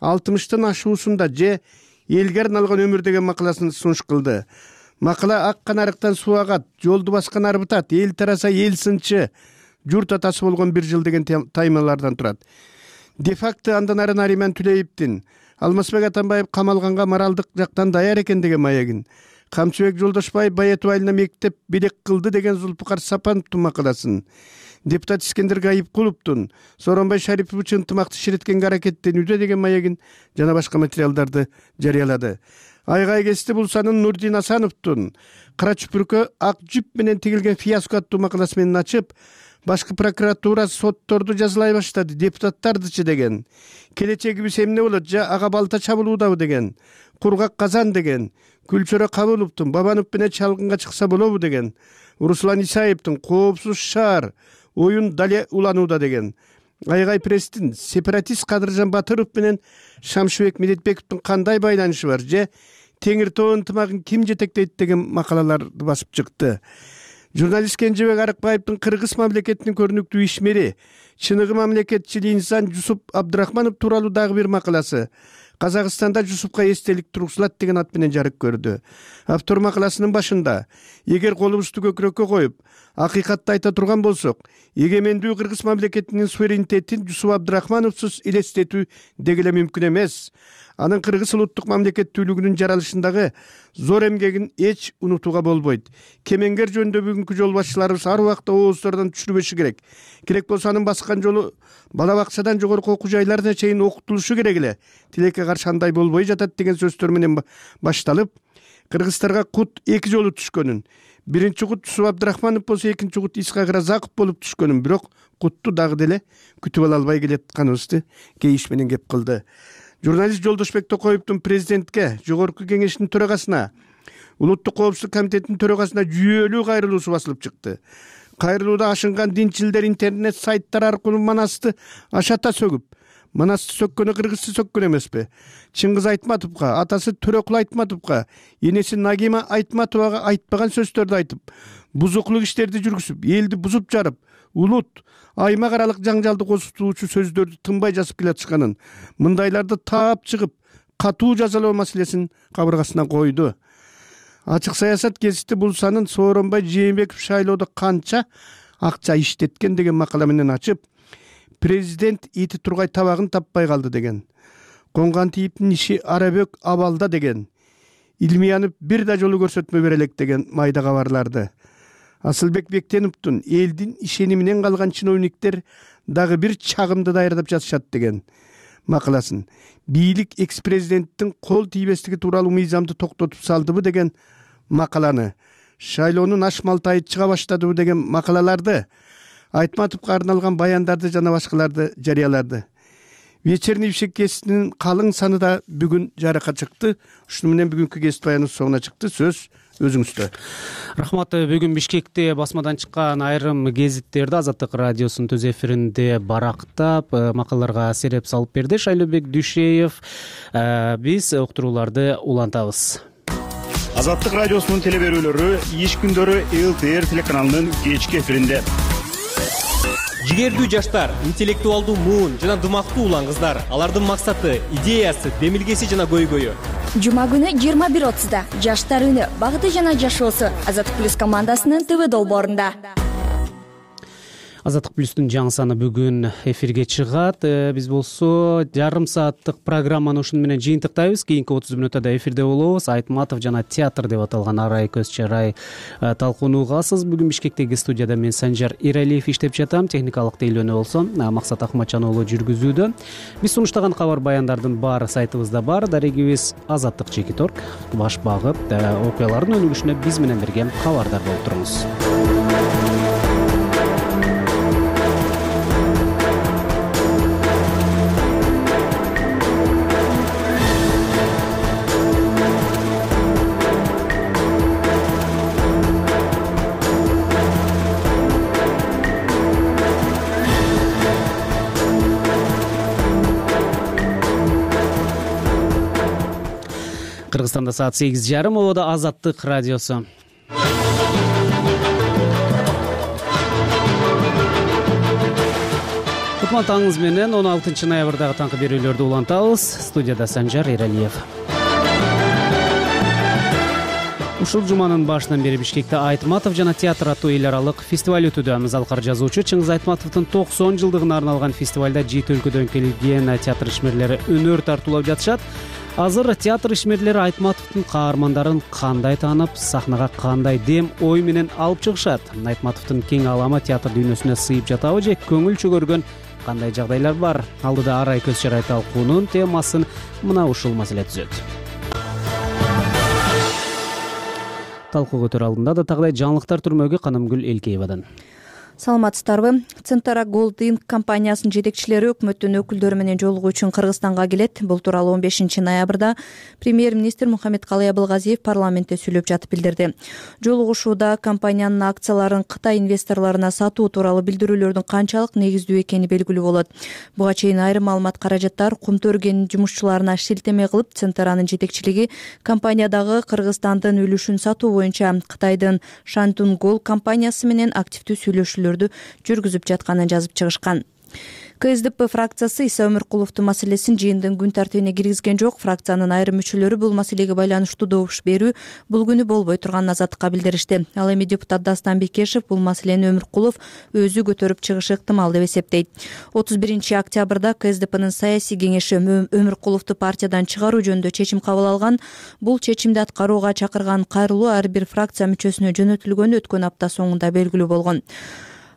60тын ашуусунда же элге арналган өмүр деген макаласын сунуш кылды. Макала ак канарыктан суу агат, жолду баскан арбытат, эл тараса эл сынчы, журт атасы болгон 1 жыл деген таймалардан турат. Де-факто андан ары Нариман Түлеевдин Алмазбек Атамбаев камалганга моралдык жактан даяр экен деген маегин, Камчыбек Жолдошбаев Байетов айылына мектеп белек кылды деген Зулпукар Сапановдун макаласын, депутат Искендер Гайыпкуловдун Сооронбай Шарипов үчүн ынтымакты ширеткенге аракеттенүүдө деген маегин жана башка материалдарды жарыялады. Айгай кести булсанын Нурдин Асановдун Кара чүпүркө ак жүп менен тигилген фиаско аттуу макаласы менен ачып, башкы прокуратура сотторду жазалай баштады, депутаттардычы деген, келечегибиз эмне болот, же ага балта чабылуудабы деген, Кургак Казан деген, Күлчөрө Кабыловдун Бабанов менен чалгынга чыкса болобу деген, Руслан Исаевдин Коопсуз шаар оюн дале уланууда деген, Айгай пресстин сепаратист Кадыржан Батыров менен Шамшыбек Медетбековдун кандай байланышы бар, же Теңир Тоо ынтымагын ким жетектейт деген макалаларды басып чыкты. Журналист Кенжебек Арыкбаевдин Кыргыз мамлекетинин көрүнүктүү ишмери, чыныгы мамлекетчил инсан Жусуп Абдрахманов тууралуу дагы бир макаласы Казакстанда Жусупка эстелик тургузулат деген ат менен жарык көрдү. Автор макаласынын башында: эгер колубузду көкүрөккө коюп, акыйкатты айта турган болсок, эгемендүү Кыргыз мамлекетинин суверенитетин Жусуп Абдрахмановсуз элестетүү деги эле мүмкүн эмес. Анын кыргыз улуттук мамлекеттүүлүгүнүн жаралышындагы зор эмгегин эч унутууга болбойт. Кемеңгер жөнүндө бүгүнкү жол башчыларыбыз ар убакта ооздордон түшүрбөшү керек. Керек болсо анын баскан жолу бала бакчадан жогорку окуу жайларына чейин окутулушу керек эле. Тилекке каршы андай болбой жатат деген сөздөр менен башталып, кыргыздарга кут 2 жолу түшкөнүн, биринчи кут Жусуп Абдрахманов болсо, экинчи кут Исхак Разаков болуп түшкөнүн, бирок кутту дагы деле күтүп ала албай келатканыбызды кейиш менен кеп кылды. Журналист Жолдошбек Токоевдун президентке, жогорку кеңештин төрагасына, улуттук коопсуздук комитетинин төрагасына жүйөлүү кайрылуусу басылып чыкты. Кайрылууда ашынган динчилдер интернет сайттар аркылуу Манасты ашата сөгүп, Манасты сөккөнү кыргызды сөккөн эмеспи? Чыңгыз Айтматовго, атасы Төрөкул Айтматовго, энеси Нагима Айтматовага айтпаган сөздөрдү айтып, бузуклук иштерди жүргүзүп, элди бузуп жарып, улут, аймак аралык жаңжалды козутуучу сөздөрдү тынбай жазып келатышканын, мындайларды таап чыгып, катуу жазалоо маселесин кабыргасына койду. Ачык саясат гезити бул санын Сооронбай Жээнбеков шайлоодо канча акча иштеткен деген макала менен ачып, президент ити тургай табагын таппай калды деген, конган тийиптин иши арабөк абалда деген, Илмиянов бир да жолу көрсөтмө бере элек деген майда кабарларды, Асылбек Бектеновдун элдин ишениминен калган чиновниктер дагы бир чагымды даярдап жатышат деген макаласын, бийлик экс-президенттин кол тийбестиги тууралуу мыйзамды токтотуп салдыбы деген макаланы, шайлоонун аш малтайы чыга баштадыбы деген макалаларды, Айтматовго арналган баяндарды жана башкаларды жарыялады. Вечерний ишек гезитинин калың саны да бүгүн жарыкка чыкты. Ушуну менен бүгүнкү гезит баяныбыз соңуна чыкты. Сөз өзүңүздө. Рахмат. Бүгүн Бишкекте басмадан чыккан айрым гезиттерди Азаттык радиосунун төз эфиринде барактап, макалаларга сереп салып берди Шайлообек Дүйшеев. Биз уктурууларды улантабыз. Азаттык радиосунун телеберүүлөрү иш күндөрү ЛТР телеканалынын кечки эфиринде. Жигердүү жаштар, интеллектуалдуу муун жана дымактуу улан кыздар, алардын максаты, идеясы, демилгеси жана көйгөйү. Жума күнү 21:30 Жаштар үнү, багыты жана жашоосу Азаттык плюс командасынын ТВ долбоорунда. Азаттык плюстун жаңы саны бүгүн эфирге чыгат. Биз болсо жарым сааттык программаны ушуну менен жыйынтыктайбыз. Кийинки 30 мүнөттө эфирде болобуз. Айтматов жана театр деп аталган арай көз чарай талкуунууга аласыз. Бүгүн Бишкектеги студияда мен Санжар Иралиев иштеп жатам. Техникалык тейлөөнү болсо Максат Акматжан уулу жүргүзүүдө. Биз сунуштаган кабар баяндардын баары сайтыбызда бар. Дарегибиз Азаттык Чекиторг. Баш багып, окуялардын өнүгүшүнө биз менен бирге кабардар болуп туруңуз. Кыргызстанда саат 8:30, ободо Азаттык радиосу. Кутман таңыңыз менен 16 ноябрдагы таңкы берүүлөрдү улантабыз. Студияда Санжар Иралиев. Ушул жуманын башынан бери Бишкекте Айтматов жана театр аттуу эл аралык фестиваль өтүүдө. Залкар жазуучу Чыңгыз Айтматовдун 90 жылдыгына арналган фестивалда 7 өлкөдөн келген театр ишмерлери өнөр тартуулап жатышат. Азыр театр ишмерлери Айтматовдун каармандарын кандай таанып, сахнага кандай дем, ой менен алып чыгышат? Айтматовдун кең аламы театр дүйнөсүнө сыйып жатабы же көңүл чөгөргөн кандай жагдайлар бар? Алдыда арай көз чарай талкуунун темасын мына ушул маселе түзөт. Талкуу көтөрүү алдында да тагыдай жаңылыктар түрмөгү Канымгүл Элкеевадан. Саламатсыздарбы? Центара Gold Inc компаниясынын жетекчилери өкмөттүн өкүлдөрү менен жолугуу үчүн Кыргызстанга келет. Бул тууралуу 15 ноябрда премьер-министр Мухаммедкалый Абылгазиев парламентте сүйлөп жатып билдирди. Жолугушууда компаниянын акцияларын Кытай инвесторлоруна сатуу тууралуу билдирүүлөрдүн канчалык негиздүү экени белгилүү болот. Буга чейин айрым маалымат каражаттар Кумту өргенин жумушчуларына шилтеме кылып, Центаранын жетекчилиги компаниядагы Кыргызстандын үлүшүн сатуу боюнча Кытайдын Шантун Gold компаниясы менен активдүү сүйлөшүүлөрдү жүргүзүп жатканын жазып чыгышкан. КСДП фракциясы Иса Өмүркуловдун маселесин жыйындын күн тартибине киргизген жок. Фракциянын айрым мүчөлөрү бул маселеге байланыштуу добуш берүү бул күнү болбой турганын Азаттыкка билдиришти. Ал эми депутат Дастан Бекешев бул маселени Өмүркулов өзү көтөрүп чыгышы ыктымал деп эсептейт. 31 октябрда КСДПнын саясий кеңеши Өмүркуловду партиядан чыгаруу жөнүндө чечим кабыл алган. Бул чечимди аткарууга чакырган кайрылуу ар бир фракция мүчөсүнө жөнөтүлгөнү өткөн апта соңунда белгилүү болгон.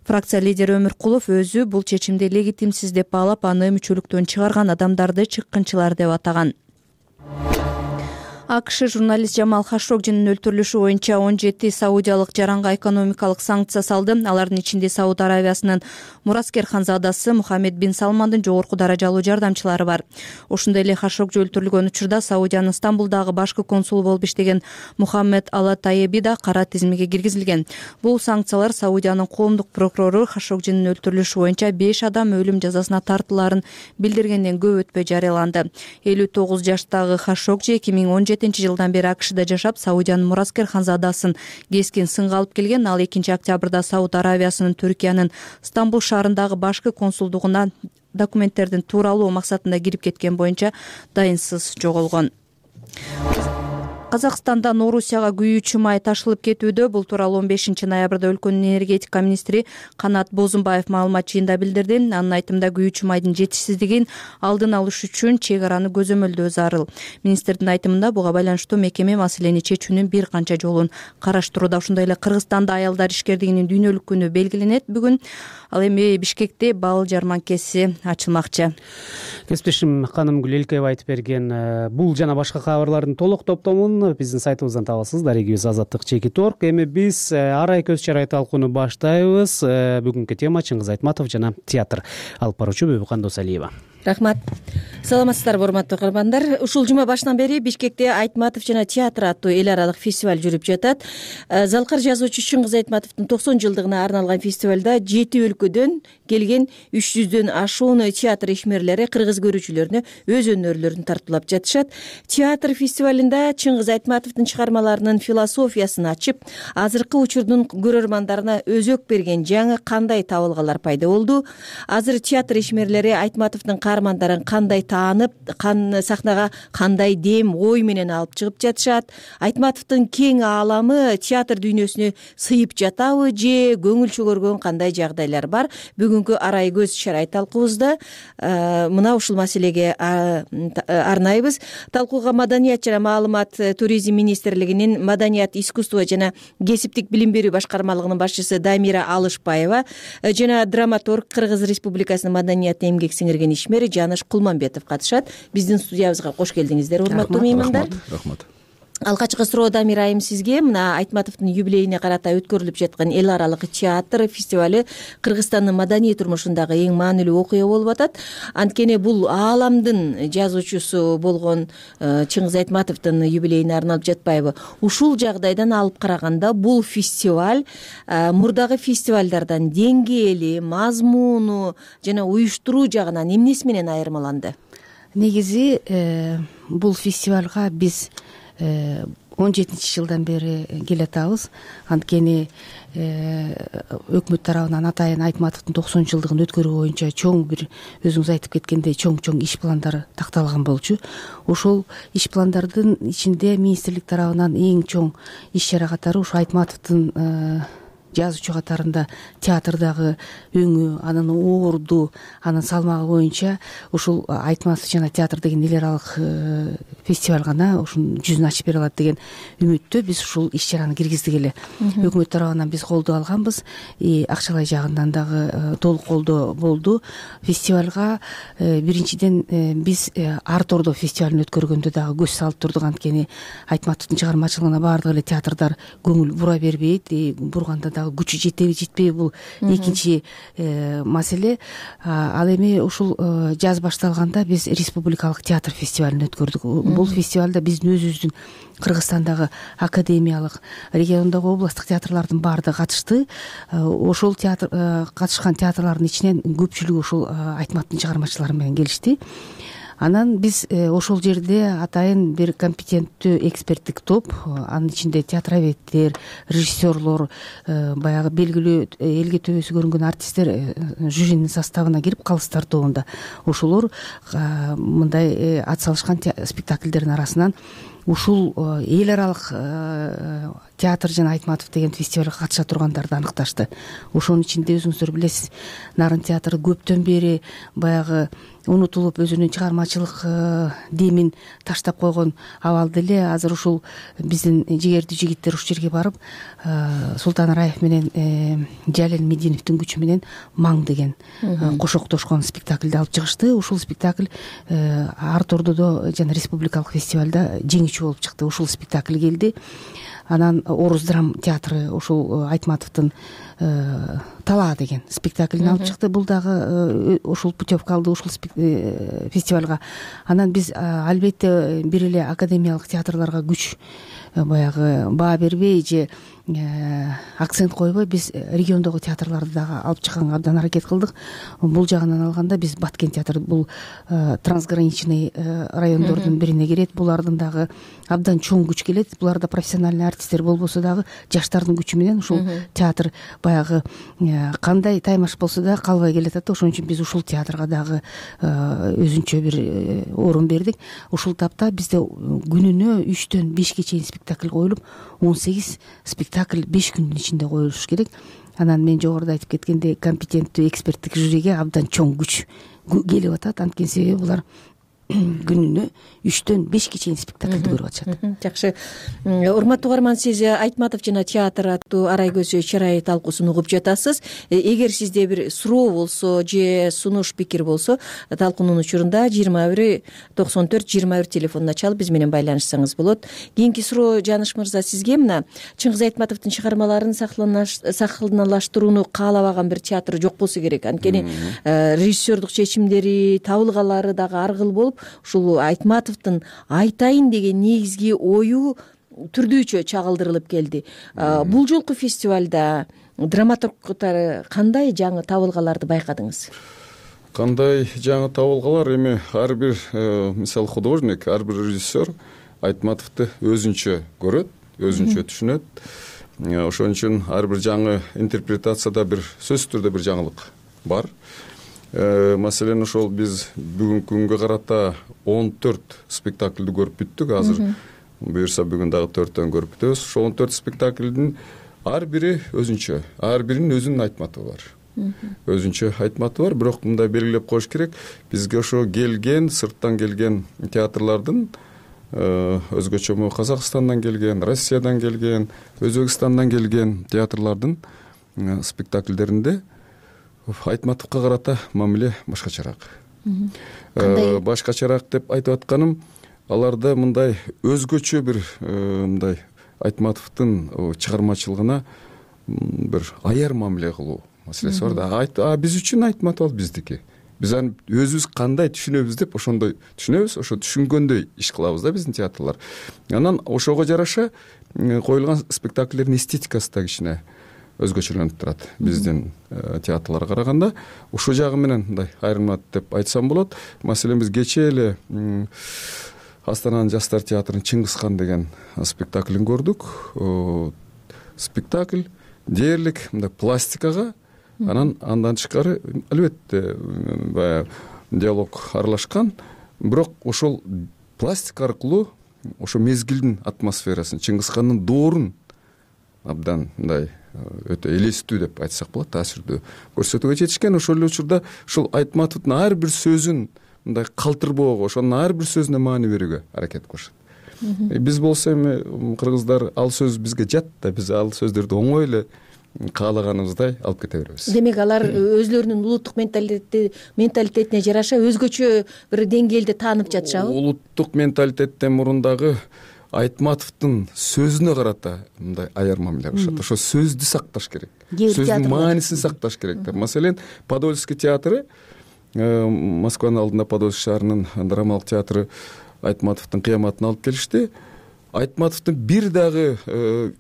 Фракция лидери Өмүркулов өзү бул чечимди легитимсиз деп баалап, аны мүчөлүктөн чыгарган адамдарды чыккынчылар деп атаган. АКШ журналист Жамал Хашогжинин өлтүрүлүшү боюнча 17 саудиялык жаранга экономикалык санкция салды. Алардын ичинде Сауд Аравиясынын мураскер ханзадасы Мухаммед бин Салмандын жогорку даражалуу жардамчылары бар. Ошондой эле Хашогжи өлтүрүлгөн учурда Саудиянын Стамбулдагы башкы консулу болуп иштеген Мухаммед Ала Таеби да кара тизимге киргизилген. Бул санкциялар Саудиянын коомдук прокурору Хашогжинин өлтүрүлүшү боюнча 5 адам өлүм жазасына тартылаарын билдиргенден көп өтпөй жарыяланды. 59 жаштагы Хашогжи 2017 жылдан бери АКШда жашап, Саудиянын мураскер ханзадасын кескин сынга алып келген. Ал 2 октябрда Сауд Аравиясынын Түркиянын Стамбул шаарындагы башкы консулдугуна документтердин тууралуу максатында кирип кеткен боюнча дайынсыз жоголгон. Казакстанда Орусияга күйүүчү май ташылып кетүүдө. Бул тууралуу 15 ноябрда өлкөнүн энергетика министри Канат Бозумбаев маалымат жыйында билдирди. Анын айтымында күйүүчү майдын жетишсиздигин алдын алыш үчүн чек араны көзөмөлдөө зарыл. Министрдин айтымында буга байланыштуу мекеме маселени чечүүнүн бир канча жолун караштырууда. Ошондой эле Кыргызстанда аялдар ишкердигинин дүйнөлүк күнү белгиленет бүгүн. Ал эми Бишкекте бал жарманкеси ачылмакчы. Кесиптешим Канымгүл Элкеева айтып берген бул жана башка кабарлардын толук топтомун биздин сайтыбыздан табасыз. Дарегибиз Азаттык Чекиторг. Эми биз арай көз чарай талкууну баштайбыз. Бүгүнкү тема Чыңгыз Айтматов жана театр. Алып баруучу Бөбүкан Досалиева. Рахмат. Саламатсыздарбы, урматтуу көрөрмандар. Ушул жума башынан бери Бишкекте Айтматов жана театр аттуу эл аралык фестиваль жүрүп жатат. Залкар жазуучу Чыңгыз Айтматовдун 90 жылдыгына арналган фестивалда 7 өлкөдөн келген 300дөн ашуун театр ишмерлери кыргыз көрүүчүлөрүнө өз өнөрлөрүн тартуулап жатышат. Театр фестивалында Чыңгыз Айтматовдун чыгармаларынын философиясын ачып, азыркы учурдун көрөрмандарына өзөк берген жаңы кандай табылгалар пайда болду? Азыр театр ишмерлери Айтматовдун каармандарын кандай таанып, сахнага кандай дем, ой менен алып чыгып жатышат? Айтматовдун кең ааламы театр дүйнөсүнө сыйып жатабы же көңүл чөгөргөн кандай жагдайлар бар? Бүгүнкү арай көз чарай талкуубузда мына ушул маселеге арнайбыз. Талкууга Маданият жана маалымат туризм министрлигинин Маданият, искусство жана кесиптик билим берүү башкармалыгынын башчысы Дамира Алышбаева жана драматург Кыргыз Республикасынын маданият эмгек сиңирген ишмери Жаныш Кулманбетов катышат. Биздин студиябызга кош келдиңиздер, урматтуу меймандар. Рахмат. Алгачкы суроо Дамир айым сизге. Мына Айтматовдун юбилейине карата өткөрүлүп жаткан эл аралык театр фестивали Кыргызстандын маданий турмушундагы эң маанилүү окуя болуп атат. Анткени бул ааламдын жазуучусу болгон Чыңгыз Айтматовдун юбилейине арналып жатпайбы? Ушул жагдайдан алып караганда бул фестиваль мурдагы фестивалдардан деңгээли, мазмуну жана уюштуруу жагынан эмнеси менен айырмаланды? Негизи бул фестивалга биз 17-жылдан бери келатабыз. Анткени өкмөт тарабынан атайын Айтматовдун 90-жылдыгын өткөрүү боюнча чоң бир, өзүңүз айтып кеткендей, чоң иш пландар такталган болчу. Ошол иш пландардын ичинде министрлик тарабынан эң чоң иш чара катары ушу Айтматовдун жазуучу катарында театрдагы өңү, анын орду, анын салмагы боюнча ушул Айтматов жана театр деген эл аралык фестиваль гана ушунун жүзүн ачып бере алат деген үмүттө биз ушул иш чараны киргиздик эле. Өкмөт тарабынан биз колдоо алганбыз, акчалай жагынан дагы толук колдоо болду. Фестивалга биринчиден биз Арт Ордо фестивалын өткөргөндө дагы көз салып турдук, анткени Айтматовдун чыгармачылыгына баардык эле театрдар көңүл бура бербейт, бурганда күчү жетеби жетпейби, бул экинчи маселе. Ал эми ушул жаз башталганда биз республикалык театр фестивалын өткөрдүк. Бул фестивалда биздин өзүбүздүн Кыргызстандагы академиялык, региондогу областтык театрлардын баардыгы катышты. Ошол театр катышкан театрлардын ичинен көпчүлүгү ушул Айтматовдун чыгармачылары менен келишти. Анан биз ошол жерде атайын бир компетенттүү эксперттик топ, анын ичинде театроведтер, режиссерлор, баягы белгилүү элге төбөсү көрүнгөн артисттер жюринин составына кирип калыстар тобунда. Ошолор мындай ат салышкан спектакльдердин арасынан ушул эл аралык театр жана Айтматов деген фестивалга катыша тургандарды аныкташты. Ошонун ичинде өзүңүздөр билесиз, Нарын театры көптөн бери баягы унутулуп өзүнүн чыгармачылык демин таштап койгон абалда эле. Азыр ушул биздин жигердүү жигиттер ушул жерге барып, Султан Раев менен Жалил Мединовдун күчү менен Маң деген кошоктошкон спектакльди алып чыгышты. Ушул спектакль Арт Ордодо жана республикалык фестивалда жеңүүчү болуп чыкты. Ушул спектакль келди. Анан Орус драм театры ушул Айтматовдун Талаа деген спектаклин алып чыкты. Бул дагы ушул путевка алды ушул фестивалга. Анан биз албетте бир эле академиялык театрларга күч баягы баа бербей же акцент койбой биз региондогу театрларды дагы алып чыкканга абдан аракет кылдык. Бул жагынан алганда биз Баткен театры, бул трансграничный райондордун бирине кирет. Булардын дагы абдан чоң күч келет. Буларда профессиональный артисттер болбосо дагы жаштардын күчү менен ушул театр баягы кандай таймаш болсо да калбай келатат. Ошон үчүн биз ушул театрга дагы өзүнчө бир орун бердик. Ушул тапта бизде күнүнө 3-төн 5ке чейин спектакль коюлуп, 18 спектакль 5 күндүн ичинде коюлуш керек. Анан мен жогоруда айтып кеткендей, компетенттүү эксперттик жюриге абдан чоң күч келип атат. Анткени себеби булар күнүнө 3-төн 5ке чейин спектакльди көрүп атышат. Жакшы. Урматтуу угарман, сиз Айтматов жана театр аттуу арай көз чарай талкуусун угуп жатасыз. Эгер сизде бир суроо болсо же сунуш пикир болсо, талкуунун учурунда 21-94-21 телефонуна чалып биз менен байланышсаңыз болот. Кийинки суроо Жаныш мырза сизге. Мына Чыңгыз Айтматовдун чыгармаларын сахналаштырууну каалабаган бир театр жок болсо керек. Анткени режиссердук чечимдери, табылгалары дагы ар кыл болуп, ушул Айтматовдун айтайын деген негизги ою түрдүүчө чагылдырылып келди. Бул жолку фестивалда драматургдары кандай жаңы табылгаларды байкадыңыз? Кандай жаңы табылгалар? Эми ар бир мисалы художник, ар бир режиссер Айтматовду өзүнчө көрөт, өзүнчө түшүнөт. Ошон үчүн ар бир жаңы интерпретацияда бир сөзсүз түрдө бир жаңылык бар. Маселен, ошол биз бүгүнкү күнгө карата 14 спектакльди көрүп бүттүк. Азыр буюрса бүгүн дагы 4төн көрүп бүтөбүз. Ошол 14 спектакльдин ар бири өзүнчө, ар биринин өзүнүн Айтматову бар. Өзүнчө Айтматову бар, бирок мындай белгилеп коюш керек. Бизге ошо келген, сырттан келген театрлардын өзгөчө Казакстандан келген, Россиядан келген, Өзбекстандан келген театрлардын спектакльдеринде Айтматовго карата мамиле башкачараак. Башкачараак деп айтып атканым, аларда мындай өзгөчө бир мындай Айтматовдун чыгармачылыгына бир аяр мамиле кылуу маселеси бар да. Биз үчүн Айтматов ал биздики. Биз аны өзүбүз кандай түшүнөбүз деп ошондой түшүнөбүз, ошо түшүнгөндөй иш кылабыз да биздин театрлар. Анан ошого жараша коюлган спектакльдердин эстетикасы да кичине өзгөчөлөнүп турат биздин театрларга караганда. Ушул жагы менен мындай айырмат деп айтсам болот. Маселен, биз кечээ эле Астананын жаштар театрынын Чыңгызхан деген спектаклин көрдүк. Спектакль дээрлик мындай пластикага, андан тышкары албетте баягы диалог аралашкан, бирок ошол пластика аркылуу ошо мезгилдин атмосферасын, Чыңгызхандын доорун абдан мындай өтө элестүү деп айтсак болот, таасирдүү көрсөтүүгө жетишкен. Ошол эле учурда ушул Айтматовдун ар бир сөзүн мындай калтырбоого, ошонун ар бир сөзүнө маани берүүгө аракет кылышат. Биз болсо эми кыргыздар ал сөз бизге жат да, биз ал сөздөрдү оңой эле каалаганыбыздай алып кете беребиз. Демек алар өзлөрүнүн улуттук менталитетине жараша өзгөчө бир деңгээлде таанып жатышабы? Улуттук менталитеттен мурун дагы Айтматовдун сөзүнө карата мындай аяр мамиле кылышат. Ошо сөздү сакташ керек, сөздүн маанисин сакташ керек. Маселен, Подольский театры, Москванын алдында Подольский шаарынын драмалык театры Айтматовдун кыяматын алып келишти. Айтматовдун бир дагы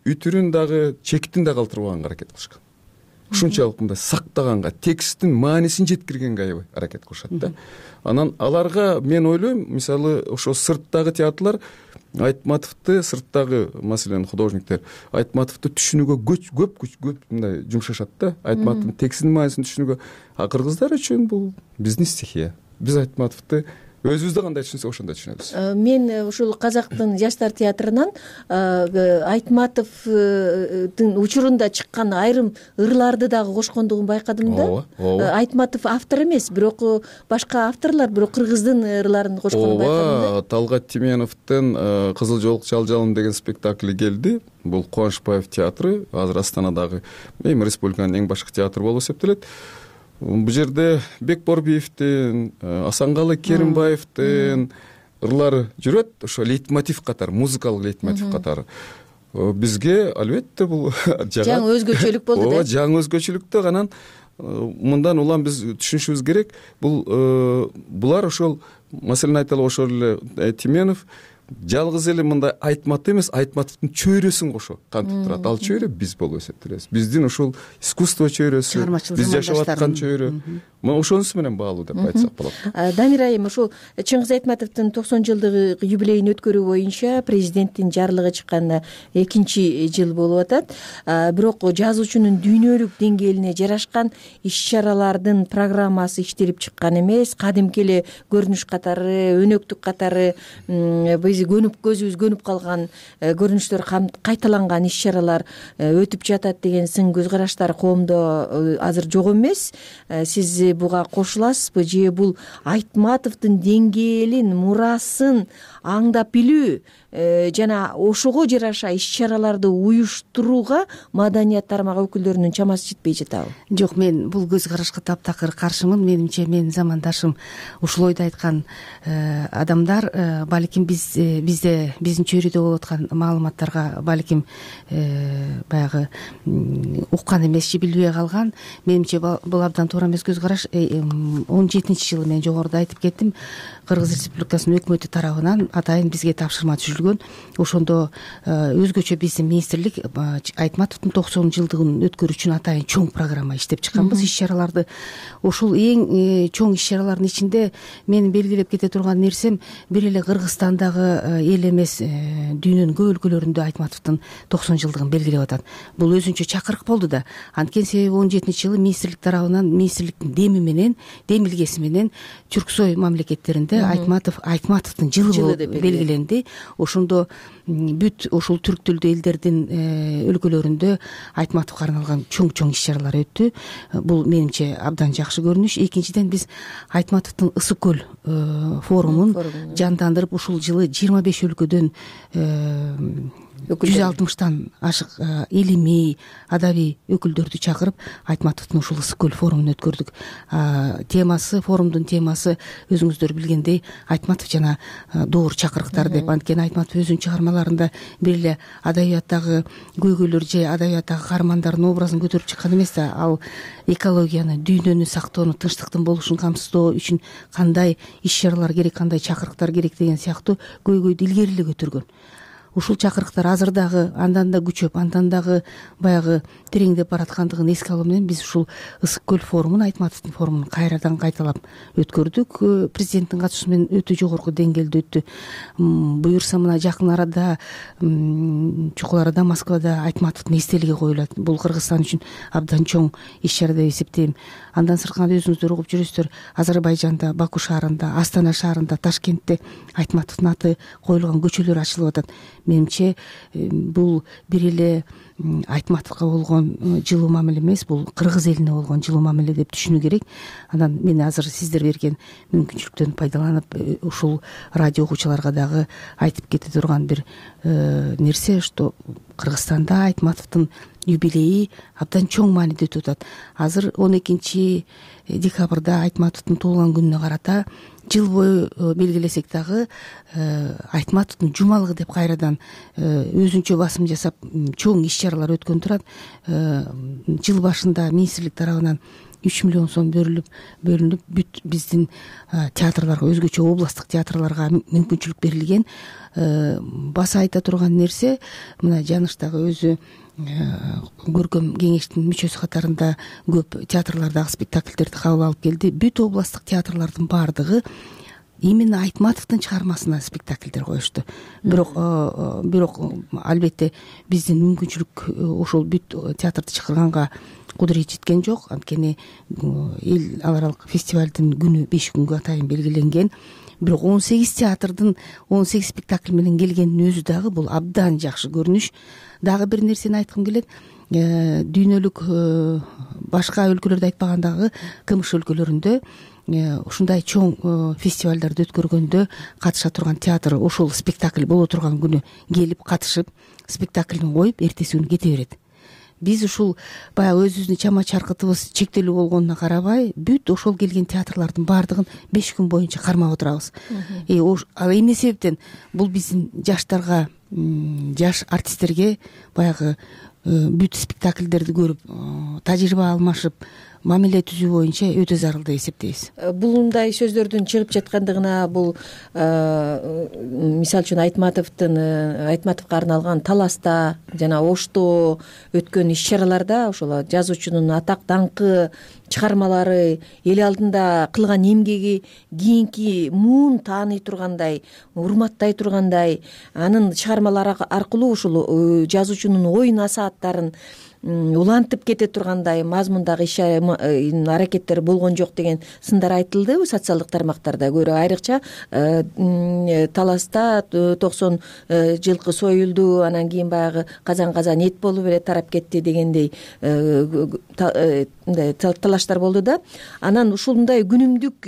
үтүрүн дагы, чекитин дагы калтырбаганга аракет кылышкан. Ушунчалык мындай сактаганга, тексттин маанисин жеткиргенге аябай аракет кылышат да. Анан аларга мен ойлойм, мисалы ошо сырттагы театрлар Айтматовду, сырттагы маселен художниктер Айтматовду түшүнүүгө көп мындай жумшашат да. Айтматовдун текстинин маанисин түшүнүүгө. А кыргыздар үчүн бул биздин стихия. Биз Айтматовду өзүбүздө кандай түшүнсөк ошондой түшүнөбүз. Мен ушул Казактын жаштар театрынан Айтматовдун учурунда чыккан айрым ырларды дагы кошкондугун байкадым да. Айтматов автор эмес, бирок башка авторлар, бирок кыргыздын ырларын кошконун байкадым да. Талгат Тименовдун Кызыл жолук жалжалым деген спектакли келди. Бул Кубанычбаев театры, азыр Астанадагы эми республиканын эң башкы театры болуп эсептелет. Бул жерде Бекборбиевдин, Асанкалы Керимбаевдин ырлары жүрөт, ошо лейтмотив катары, музыкалык лейтмотив катары. Бизге албетте бул жаңы өзгөчөлүк болду да. Жаңы өзгөчөлүктө анан мындан улам биз түшүнүшүбүз керек. Булар ошол, маселен айталы ошол эле Тименов жалгыз эле мындай Айтматов эмес, Айтматовдун чөйрөсүн кошо кантип турат. Ал чөйрө биз болуп эсептелебиз. Биздин ушул искусство чөйрөсү, биз жашап аткан чөйрө. Ошонусу менен баалуу деп айтсак болот. Дамир айым, ушул Чыңгыз Айтматовдун 90 жылдыгы юбилейин өткөрүү боюнча президенттин жарлыгы чыкканына 2 жыл болуп атат. Бирок жазуучунун дүйнөлүк деңгээлине жарашкан иш-чаралардын программасы иштелип чыккан эмес. Кадимки эле көрүнүш катары, өнөктүк катары биз көзүбүз көнүп калган көрүнүштөр кайталанган иш-чаралар өтүп жатат деген сын көз караштар коомдо азыр жок эмес. Сиз буга кошуласызбы же бул Айтматовдун деңгээлин, мурасын аңдап билүү жана ошого жараша иш-чараларды уюштурууга маданият тармагы өкүлдөрүнүн чамасы жетпей жатабы? Жок, мен бул көз карашка таптакыр каршымын. Менимче менин замандашым ушул ойду айткан адамдар балким биз бизде биздин чөйрөдө болуп аткан маалыматтарга балким баягы уккан эмес же билбей калган. Менимче бул абдан туура эмес көз караш. 17-жылы мен жогоруда айтып кеттим, Кыргыз Республикасынын өкмөтү тарабынан атайын бизге тапшырма түзүлгөн. Ошондо өзгөчө биздин министрлик Айтматовдун 90-жылдыгын өткөрүү үчүн атайын чоң программа иштеп чыкканбыз. Иш чараларды ошол эң чоң иш чаралардын ичинде менин белгилеп кете турган нерсем бир эле Кыргызстандагы эл эмес, дүйнөнүн көп өлкөлөрүндө Айтматовдун 90-жылдыгын белгилеп атат. Бул өзүнчө чакырык болду да. Анткени себеби 17-жылы министрлик тарабынан, министрликтин деми менен, демилгеси менен Түрксой мамлекеттеринде Айтматовдун жылы болуп белгиленди. Ошондо бүт ушул түрк тилдүү элдердин өлкөлөрүндө Айтматовго арналган чоң иш чаралар өттү. Бул менимче абдан жакшы көрүнүш. Экинчиден биз Айтматовдун Ысык көл форумун жандандырып, ушул жылы 25 өлкөдөн 160тан ашык илимий, адабий өкүлдөрдү чакырып Айтматовдун ушул Ысык көл форумун өткөрдүк. Форумдун темасы өзүңүздөр билгендей Айтматов жана доор чакырыктар деп. Анткени Айтматов өзүнүн чыгармаларында бир эле адабияттагы көйгөйлөр же адабияттагы каармандардын образын көтөрүп чыккан эмес да, ал экологияны, дүйнөнү сактоону, тынчтыктын болушун камсыздоо үчүн кандай иш чаралар керек, кандай чакырыктар керек деген сыяктуу көйгөйдү илгери эле көтөргөн. Ушул чакырыктар азыр дагы андан да күчөп, андан дагы баягы тереңдеп бараткандыгын эске алуу менен биз ушул Ысык көл форумун, Айтматовдун форумун кайрадан кайталап өткөрдүк. Президенттин катышуусу менен өтө жогорку деңгээлде өттү. Буюрса мына жакын арада чукул арада Москвада Айтматовдун эстелиги коюлат. Бул Кыргызстан үчүн абдан чоң иш чара деп эсептейм. Андан сырткары өзүңүздөр угуп жүрөсүздөр, Азербайжанда, Баку шаарында, Астана шаарында, Ташкентте Айтматовдун аты коюлган көчөлөр ачылып атат. Менимче бул бир эле Айтматовго болгон жылуу мамиле эмес, бул кыргыз элине болгон жылуу мамиле деп түшүнүү керек. Анан мен азыр сиздер берген мүмкүнчүлүктөн пайдаланып ушул радио угуучуларга дагы айтып кете турган бир нерсе, что Кыргызстанда Айтматовдун юбилейи абдан чоң мааниде өтүп атат. Азыр 12 декабрда Айтматовдун туулган күнүнө карата жыл бою белгилесек дагы Айтматовдун жумалыгы деп кайрадан өзүнчө басым жасап чоң иш чаралар өткөн турат. Жыл башында министрлик тарабынан 3 миллион сом бөлүнүп бүт биздин театрларга, өзгөчө областтык театрларга мүмкүнчүлүк берилген. Баса айта турган нерсе, мына Жаныштагы өзү көркөм кеңештин мүчөсү катарында көп театрлардагы спектакльдерди кабыл алып келди. Бүт областтык театрлардын баардыгы именно Айтматовдун чыгармасына спектакльдер коюшту. Бирок албетте биздин мүмкүнчүлүк ошол бүт театрды чакырганга кудурет жеткен жок. Анткени эл аралык фестивалдын күнү 5 күнгө атайын белгиленген. Бирок 18 театрдын 18 спектакль менен келгенин өзү дагы бул абдан жакшы көрүнүш. Дагы бир нерсени айткым келет. Дүйнөлүк башка өлкөлөрдө айтпагандагы КМШ өлкөлөрүндө ушундай чоң фестивалдарды өткөргөндө катыша турган театр ошол спектакль боло турган күнү келип катышып, спектакльин коюп, эртеси күнү кете берет. Биз ушул баягы өзүбүздүн чама чаркытыбыз чектелүү болгонуна карабай, бүт ошол келген театрлардын баардыгын 5 күн боюнча кармап отурабыз. Ал эмне себептен? Бул биздин жаштарга, жаш артисттерге баягы бүт спектакльдерди көрүп, тажрыйба алмашып, мамиле түзүү боюнча өтө зарыл деп эсептейбиз. Булундай сөздөрдүн чыгып жаткандыгына бул мисалы үчүн Айтматовго арналган Таласта жана Ошто өткөн иш чараларда ошол жазуучунун атак даңкы, чыгармалары, эл алдында кылган эмгеги кийинки муун тааный тургандай, урматтай тургандай, анын чыгармалары аркылуу ушул жазуучунун ой насааттарын улантып кете тургандай мазмундагы иш аракеттер болгон жок деген сындар айтылды социалдык тармактарда. Көрө айрыкча Таласта 90 жылкы союлду, анан кийин баягы казан эт болуп эле тарап кетти дегендей талаштар болду да. Анан ушундай күнүмдүк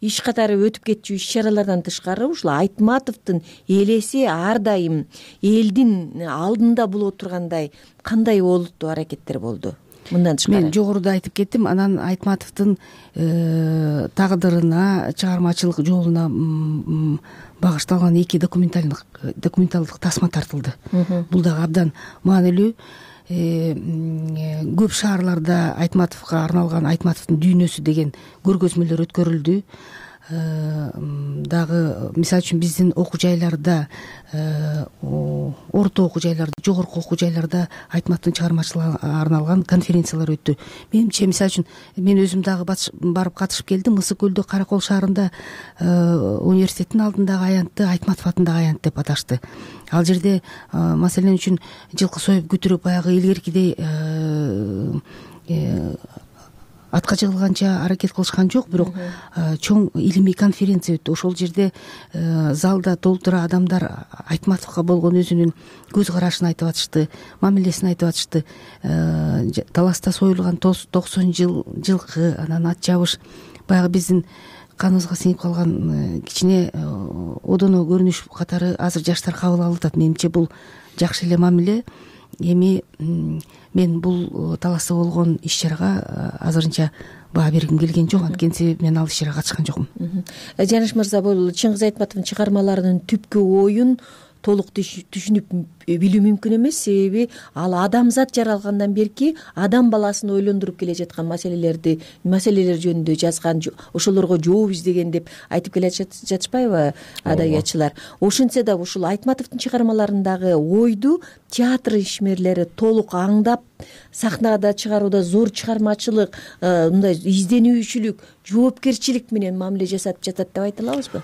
иш катары өтүп кетчү иш чаралардан тышкары ушул Айтматовдун элеси ар дайым элдин алдында боло тургандай кандай олуттуу аракеттер болду? мындан тышкары мен жогоруда айтып кеттим. Анан Айтматовдун тагдырына, чыгармачылык жолуна багышталган 2 документалдык тасма тартылды. Бул дагы абдан маанилүү. Көп шаарларда Айтматовго арналган Айтматовдун дүйнөсү деген көргөзмөлөр өткөрүлдү. Дагы мисалы үчүн биздин окуу жайларда, орто окуу жайларда, жогорку окуу жайларда Айтматовдун чыгармачылыгына арналган конференциялар өттү. Менимче, мисалы үчүн мен өзүм дагы барып катышып келдим. Ысык көлдө, Каракол шаарында университеттин алдындагы аянтты Айтматов атындагы аянт деп аташты. Ал жерде маселен үчүн жылкы союп күтүрүп баягы илгеркидей атка жыгылганча аракет кылышкан жок, бирок чоң илимий конференция өттү. Ошол жерде залда толтура адамдар Айтматовго болгон өзүнүн көз карашын айтып атышты, мамилесин айтып атышты. Таласта союлган 90 жылкы, анан ат жабыш, баягы биздин каныбызга сиңип калган кичине одоно көрүнүш катары азыр жаштар кабыл алып атат. Менимче бул жакшы эле мамиле. Эми мен бул таласта болгон иш-чарага азырынча баа бергим келген жок, анткени себеби мен ал иш-чарага катышкан жокмун. Жаныш мырза, бул Чыңгыз Айтматовдун чыгармаларынын түпкү оюн толук түшүнүп билүү мүмкүн эмес. Себеби ал адамзат жаралгандан берки адам баласын ойлондуруп келе жаткан маселелер жөнүндө жазган, ошолорго жооп издеген деп айтып келе жатышпайбы адабиятчылар? Ошентсе да ушул Айтматовдун чыгармаларындагы ойду театр ишмерлери толук аңдап, сахнада чыгарууда зор чыгармачылык, мындай изденүүчүлүк, жоопкерчилик менен мамиле жасап жатат деп айта алабызбы?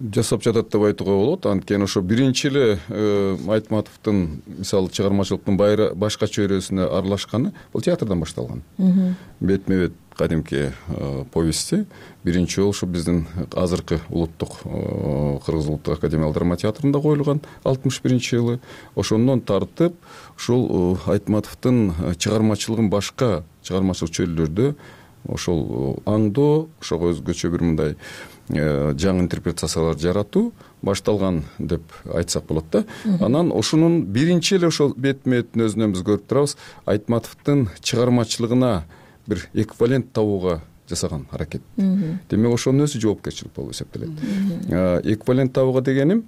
Жасап жатат деп айтууга болот. Анткени ошо биринчи эле Айтматовдун мисалы чыгармачылыктын башка чөйрөсүнө аралашканы бул театрдан башталган. Бетме бет кадимки повести биринчи жолу ушу биздин азыркы улуттук Кыргыз улуттук академиялык драма театрында коюлган 61-жылы. Ошондон тартып ушул Айтматовдун чыгармачылыгын башка чыгармачылык чөйрөлөрдө ошол аңдоо, ошого өзгөчө бир мындай жаңы интерпретациялар жаратуу башталган деп айтсак болот да. Анан ошонун биринчи эле ошол бетме-беттин өзүнөн биз көрүп турабыз, Айтматовдун чыгармачылыгына бир эквивалент табууга жасаган аракет. Демек ошонун өзү жоопкерчилик болуп эсептелет. Эквивалент табууга дегеним,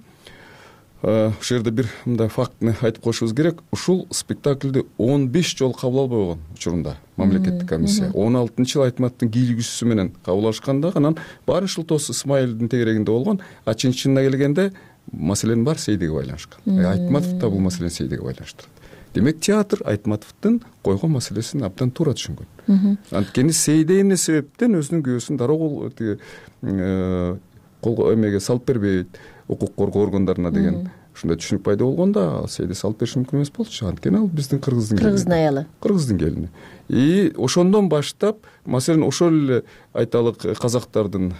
ушул жерде бир мындай фактыны айтып коюшубуз керек. Ушул спектакльди 15 жолу кабыл албай койгон учурунда мамлекеттик комиссия 16-жылы Айтматовдун кийлигүүсү менен кабыл алышканда, анан баары Шылтоос Исмаилдин тегерегинде болгон, а чынына келгенде маселенин баары Сейдиге байланышкан. Айтматов да бул маселени Сейдиге байланыштырат. Демек театр Айтматовдун койгон маселесин абдан туура түшүнгөн. Анткени Сейде эмне себептен өзүнүн күйөөсүн дароо кол эмеге салып бербейт, укук коргоо органдарына деген ушундай түшүнүк пайда болгондо Сейде салып бериши мүмкүн эмес болчу. Анткени ал биздин кыргыздын аялы, кыргыздын келини. И ошондон баштап, маселен, ошол эле айталык казактардын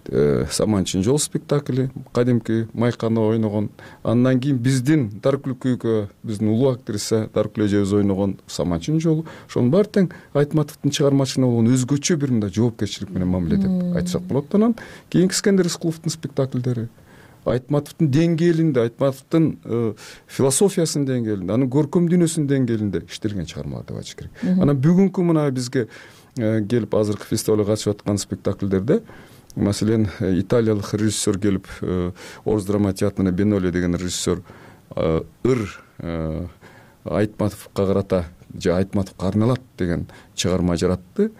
Саманчын жол спектакли, кадимки Майканы ойногон, андан кийин биздин Даркүл күйгө биздин улуу актриса Даркүл эжебиз ойногон Саманчын жолу, ошонун баары тең Айтматовдун чыгармачылыгына болгон өзгөчө бир мындай жоопкерчилик менен мамиле деп айтсак болот. Анан кийинки Искендер Рыскуловдун спектакльдери Айтматовдун деңгээлинде, Айтматовдун философиясынын деңгээлинде, анын көркөм дүйнөсүнүн деңгээлинде иштелген чыгармалар деп айтыш керек. Анан бүгүнкү мына бизге келип азыркы фестивалга катышып аткан спектакльдерде, маселен, италиялык режиссер келип, Орус драма театрына Беноли деген режиссер Айтматовго карата же Айтматовго арналат деген чыгарма жаратты.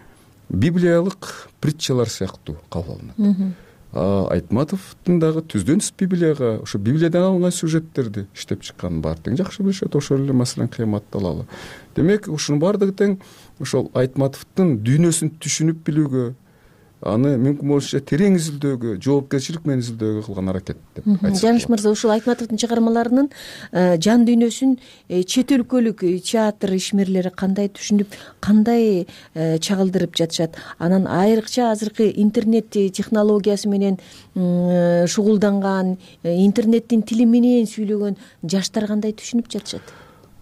Библиялык притчалар сыяктуу кабыл алынат. Айтматовдун дагы түздөн түз Библияга, ошо Библиядан алынган сюжеттерди иштеп чыкканын баары тең жакшы билишет. Ошол эле маселен Кыямат талалы. Демек, ушунун баардыгы тең ошол Айтматовдун дүйнөсүн түшүнүп билүүгө, аны мүмкүн болушунча терең изилдөөгө, жоопкерчилик менен изилдөөгө кылган аракет деп айтсак. Жаныш мырза, ушул Айтматовдун чыгармаларынын жан дүйнөсүн чет өлкөлүк театр ишмерлери кандай түшүнүп, кандай чагылдырып жатышат? Анан айрыкча азыркы интернет технологиясы менен шугулданган, интернеттин тили менен сүйлөгөн жаштар кандай түшүнүп жатышат?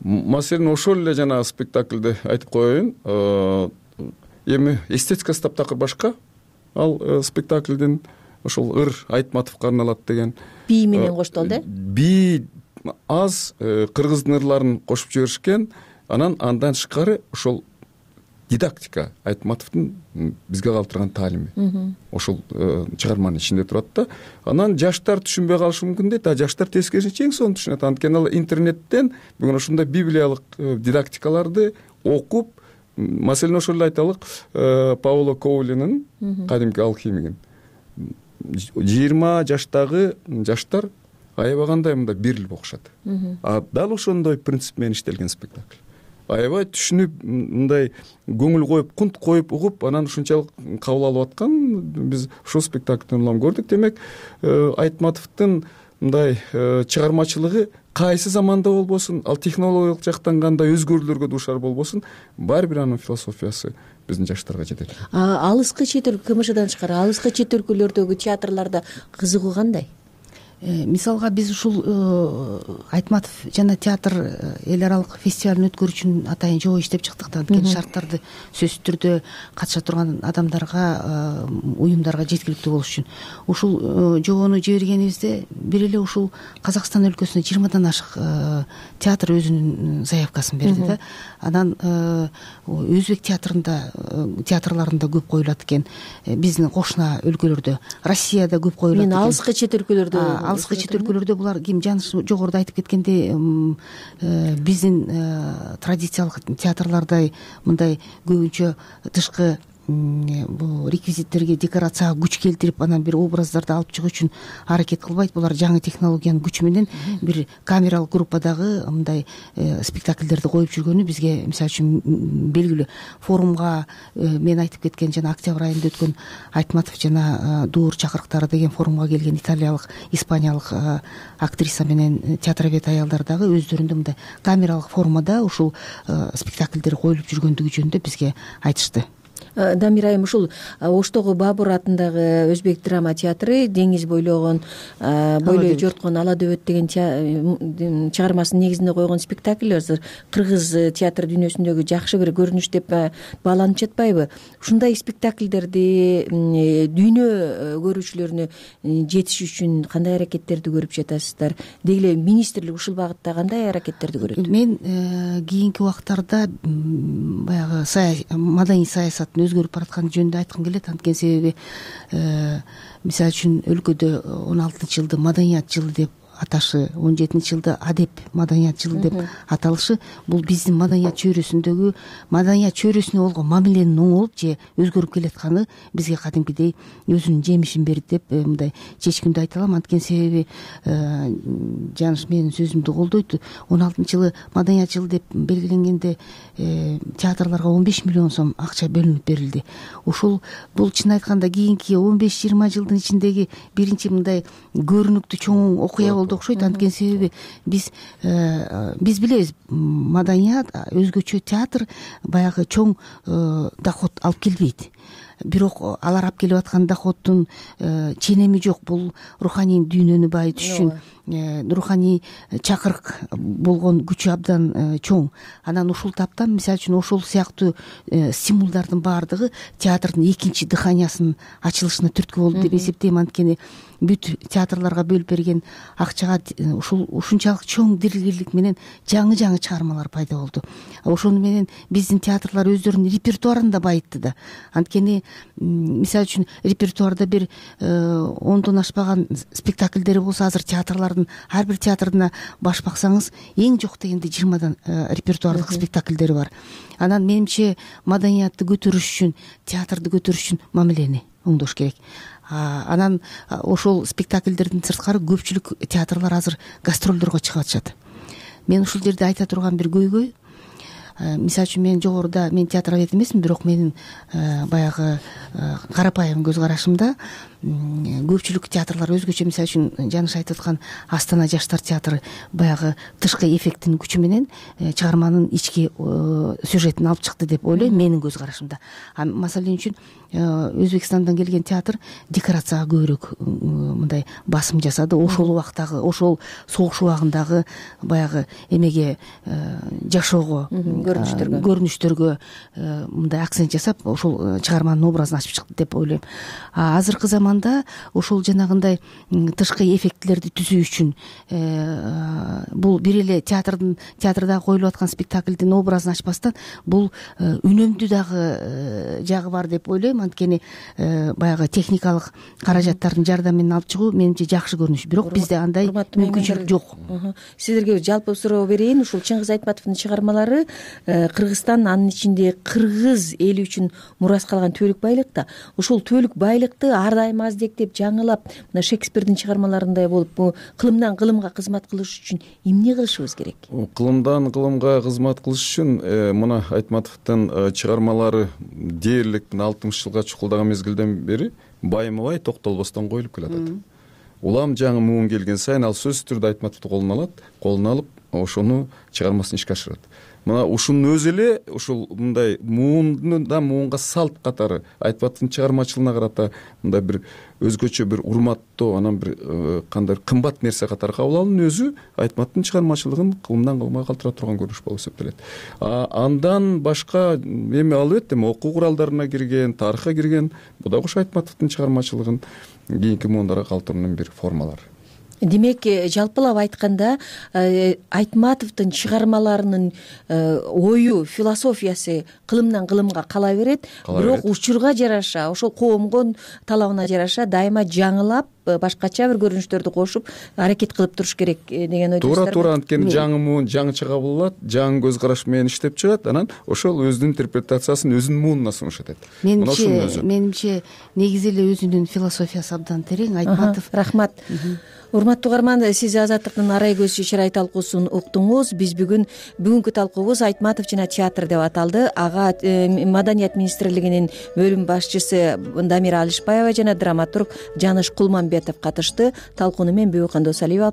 Маселен, ошол эле жана спектакльде айтып коеюн. Эми эстетика таптакыр башка. Ал спектакльдин ошол Айтматовго арналат деген бий менен коштолду. Бий аз, кыргыздын ырларын кошуп жиберишкен. анан андан тышкары ошол дидактика Айтматовдун бизге калтырган таалими ошол чыгарманын ичинде турат да. Анан жаштар түшүнбөй калышы мүмкүн дейт, а жаштар тескерисинче эң сонун түшүнөт. Анткени ал интернеттен бүгүн ошондой библиялык дидактикаларды окуп, маселен ошол эле айталык, Паоло Коулинин кадимки алхимигин 20 жаштагы жаштар аябагандай мындай берилип окушат. А дал ошондой принцип менен иштелген спектакль. Аябай түшүнүп, мындай көңүл коюп, кунт коюп угуп, анан ушунчалык кабыл алып аткан биз ушул спектакльден улам көрдүк. Демек, Айтматовдун мындай чыгармачылыгы кайсы заманда болбосун, ал технологиялык жактан кандай өзгөрүүлөргө дуушар болбосун, баары бир анын философиясы биздин жаштарга жетет. Алыскы чет өлкө, КМШдан тышкары алыскы чет өлкөлөрдөгү театрларда кызыгуу кандай? Мисалга биз ушул Айтматов жана театр эл аралык фестивалын өткөрүүчүн атайын жоо иштеп чыктык да. Анткени шарттарды сөзсүз түрдө катыша турган адамдарга, уюмдарга жеткиликтүү болуш үчүн ушул жобону жибергенибизде бир эле ушул Казакстан өлкөсүнө 20дан ашык театр өзүнүн заявкасын берди да. Анан өзбек театрларында көп коюлат экен, биздин кошуна өлкөлөрдө, Россияда көп коюлат экен. Мен алыскы чет өлкөлөрдө алыскы чет өлкөлөрдө булар ким Жаныш жогоруда айтып кеткендей биздин традициялык театрлардай мындай көбүнчө тышкы бул реквизиттерге, декорацияга күч келтирип, анан бир образдарды алып чыгуу үчүн аракет кылбайт. Булар жаңы технологиянын күчү менен бир камералык группадагы мындай спектакльдерди коюп жүргөнү бизге мисалы үчүн белгилүү. Форумга мен айтып кеткен жана октябрь айында өткөн Айтматов жана Дуур чакырыктары деген форумга келген италиялык, испаниялык актриса менен театровед аялдар дагы өздөрүндө мындай камералык формада ушул спектакльдер коюлуп жүргөндүгү жөнүндө бизге айтышты. Дамир айым, ушул Оштогу Бабур атындагы өзбек драма театры деңиз бойлогон, бойлой жорткон Ала дөбөт деген чыгармасынын негизинде койгон спектакль азыр кыргыз театр дүйнөсүндөгү жакшы бир көрүнүш деп бааланып жатпайбы? Ушундай спектакльдерди дүйнө көрүүчүлөрүнө жетиш үчүн кандай аракеттерди көрүп жатасыздар? Деги эле министрлик ушул багытта кандай аракеттерди көрөт? Мен кийинки убактарда баягы маданий саясаттын өзгөрүп баратканы жөнүндө айткым келет. Анткени себеби мисалы үчүн өлкөдө 16 жылды маданият жылы деп аташы, 17 жылды адеп маданият жылы деп аталышы бул биздин маданият чөйрөсүндөгү маданият чөйрөсүнө болгон мамиленин оңолуп же өзгөрүп келатканы бизге кадимкидей өзүнүн жемишин берди деп мындай чечкиндүү айта алам. Анткени себеби Жаныш менин сөзүмдү колдойт. 16 жылы маданият жылы деп белгиленгенде театрларга 15 миллион сом акча бөлүнүп берилди. Ушул бул чын айтканда кийинки 15-20 жылдын ичиндеги биринчи мындай көрүнүктүү чоң окуя болду окшойт. Анткени себеби биз билебиз, маданият, өзгөчө театр баягы чоң доход алып келбейт. Бирок алар алып келип аткан доходдун ченеми жок. Бул руханий дүйнөнү байытыш үчүн, руханий чакырык болгон күчү абдан чоң. Анан ушул таптан мисалы үчүн ошол сыяктуу стимулдардын баардыгы театрдын экинчи дыханиясынын ачылышына түрткү болду деп эсептейм. Анткени бүт театрларга бөлүп берген акчага ушунчалык чоң дилгирлик менен жаңы чыгармалар пайда болду. Ошону менен биздин театрлар өздөрүнүн репертуарын да байытты да. Анткени мисалы үчүн репертуарда бир 10дон ашпаган спектакльдери болсо, азыр театрлардын ар бир театрына баш баксаңыз эң жок дегенде 20дан репертуардык спектакльдери бар. Анан менимче маданиятты көтөрүш үчүн, театрды көтөрүш үчүн мамилени оңдош керек. Анан ошол спектакльдердин сырткары көпчүлүк театрлар азыр гастролдорго чыгып атышат. Мен ушул жерде айта турган бир көйгөй, мисалы үчүн мен жогоруда театровед эмесмин, бирок менин баягы карапайым көз карашымда көпчүлүк театрлар өзгөчө, мисалы үчүн Жаныш айтып аткан Астана жаштар театры баягы тышкы эффекттин күчү менен чыгарманын ички сюжетин алып чыкты деп ойлойм менин көз карашымда. Маселен үчүн Өзбекстандан келген театр декорацияга көбүрөөк мындай басым жасады. Ошол убактагы, ошол согуш убагындагы баягы эмеге жашоого көрүнүштөргө мындай акцент жасап ошол чыгарманын образын ачып чыкты деп ойлойм. Азыркы заманда ошол жанагындай тышкы эффектилерди түзүү үчүн бул бир эле театрда коюлуп аткан спектаклдин образын ачпастан бул үнөмдүү дагы жагы бар деп ойлойм. Анткени баягы техникалык каражаттардын жардамы менен алып чыгуу менимче жакшы көрүнүш. Бирок бизде андай мүмкүнчүлүк жок. Сиздерге жалпы суроо берейин. Ушул Чыңгыз Айтматовдун чыгармалары Кыргызстан, анын ичинде кыргыз эли үчүн мурас калган төлүк байлык да. Ушул төлүк байлыкты ар дайым аздектеп, жаңылап, мына Шекспирдин чыгармаларындай болуп, бул кылымдан кылымга кызмат кылыш үчүн эмне кылышыбыз керек? Кылымдан кылымга кызмат кылыш үчүн мына Айтматовдун чыгармалары дээрлик 60 жылга чукулдаган мезгилден бери байма-бай токтолбостон коюлуп келатат. Улам жаңы муун келген сайын ал сөзсүз түрдө Айтматовду колуна алып, ошону чыгармасын ишке ашырат. Мына ушунун өзү эле ушул мындай муунга салт катары Айтматовдун чыгармачылыгына карата мындай бир өзгөчө бир урматтоо, анан бир кандай кымбат нерсе катары кабыл алуунун өзү Айтматовдун чыгармачылыгын кылымдан кылымга калтыра турган көрүнүш болуп эсептелет. Андан башка эми албетте окуу куралдарына кирген, тарыхка кирген, бул дагы ушу Айтматовдун чыгармачылыгын кийинки муундарга калтыруунун бир формалары. Демек, жалпылап айтканда, Айтматовдун чыгармаларынын ою, философиясы кылымдан кылымга кала берет, бирок учурга жараша, ошол коомдун талабына жараша дайыма жаңылап, башкача бир көрүнүштөрдү кошуп, аракет кылып туруш керек деген ойдосуздар. Туура, анткени жаңы муун жаңыча кабыл алат, жаңы көз караш менен иштеп чыгат, анан ошол өзүнүн интерпретациясын өзүнүн муунуна сунуш этет. Менимче негизи эле өзүнүн философиясы абдан терең. Айтматов. Рахмат. Урматтуу угарман, сиз Азаттыктын арай көз чырай талкуусун уктуңуз. Биз бүгүнкү талкуубуз Айтматов жана театр деп аталды. Ага Маданият министрлигинин бөлүм башчысы Дамира Алишбаева жана драматург Жаныш Кулманбетов катышты. Талкууну мен Бүйөкөн Досалиева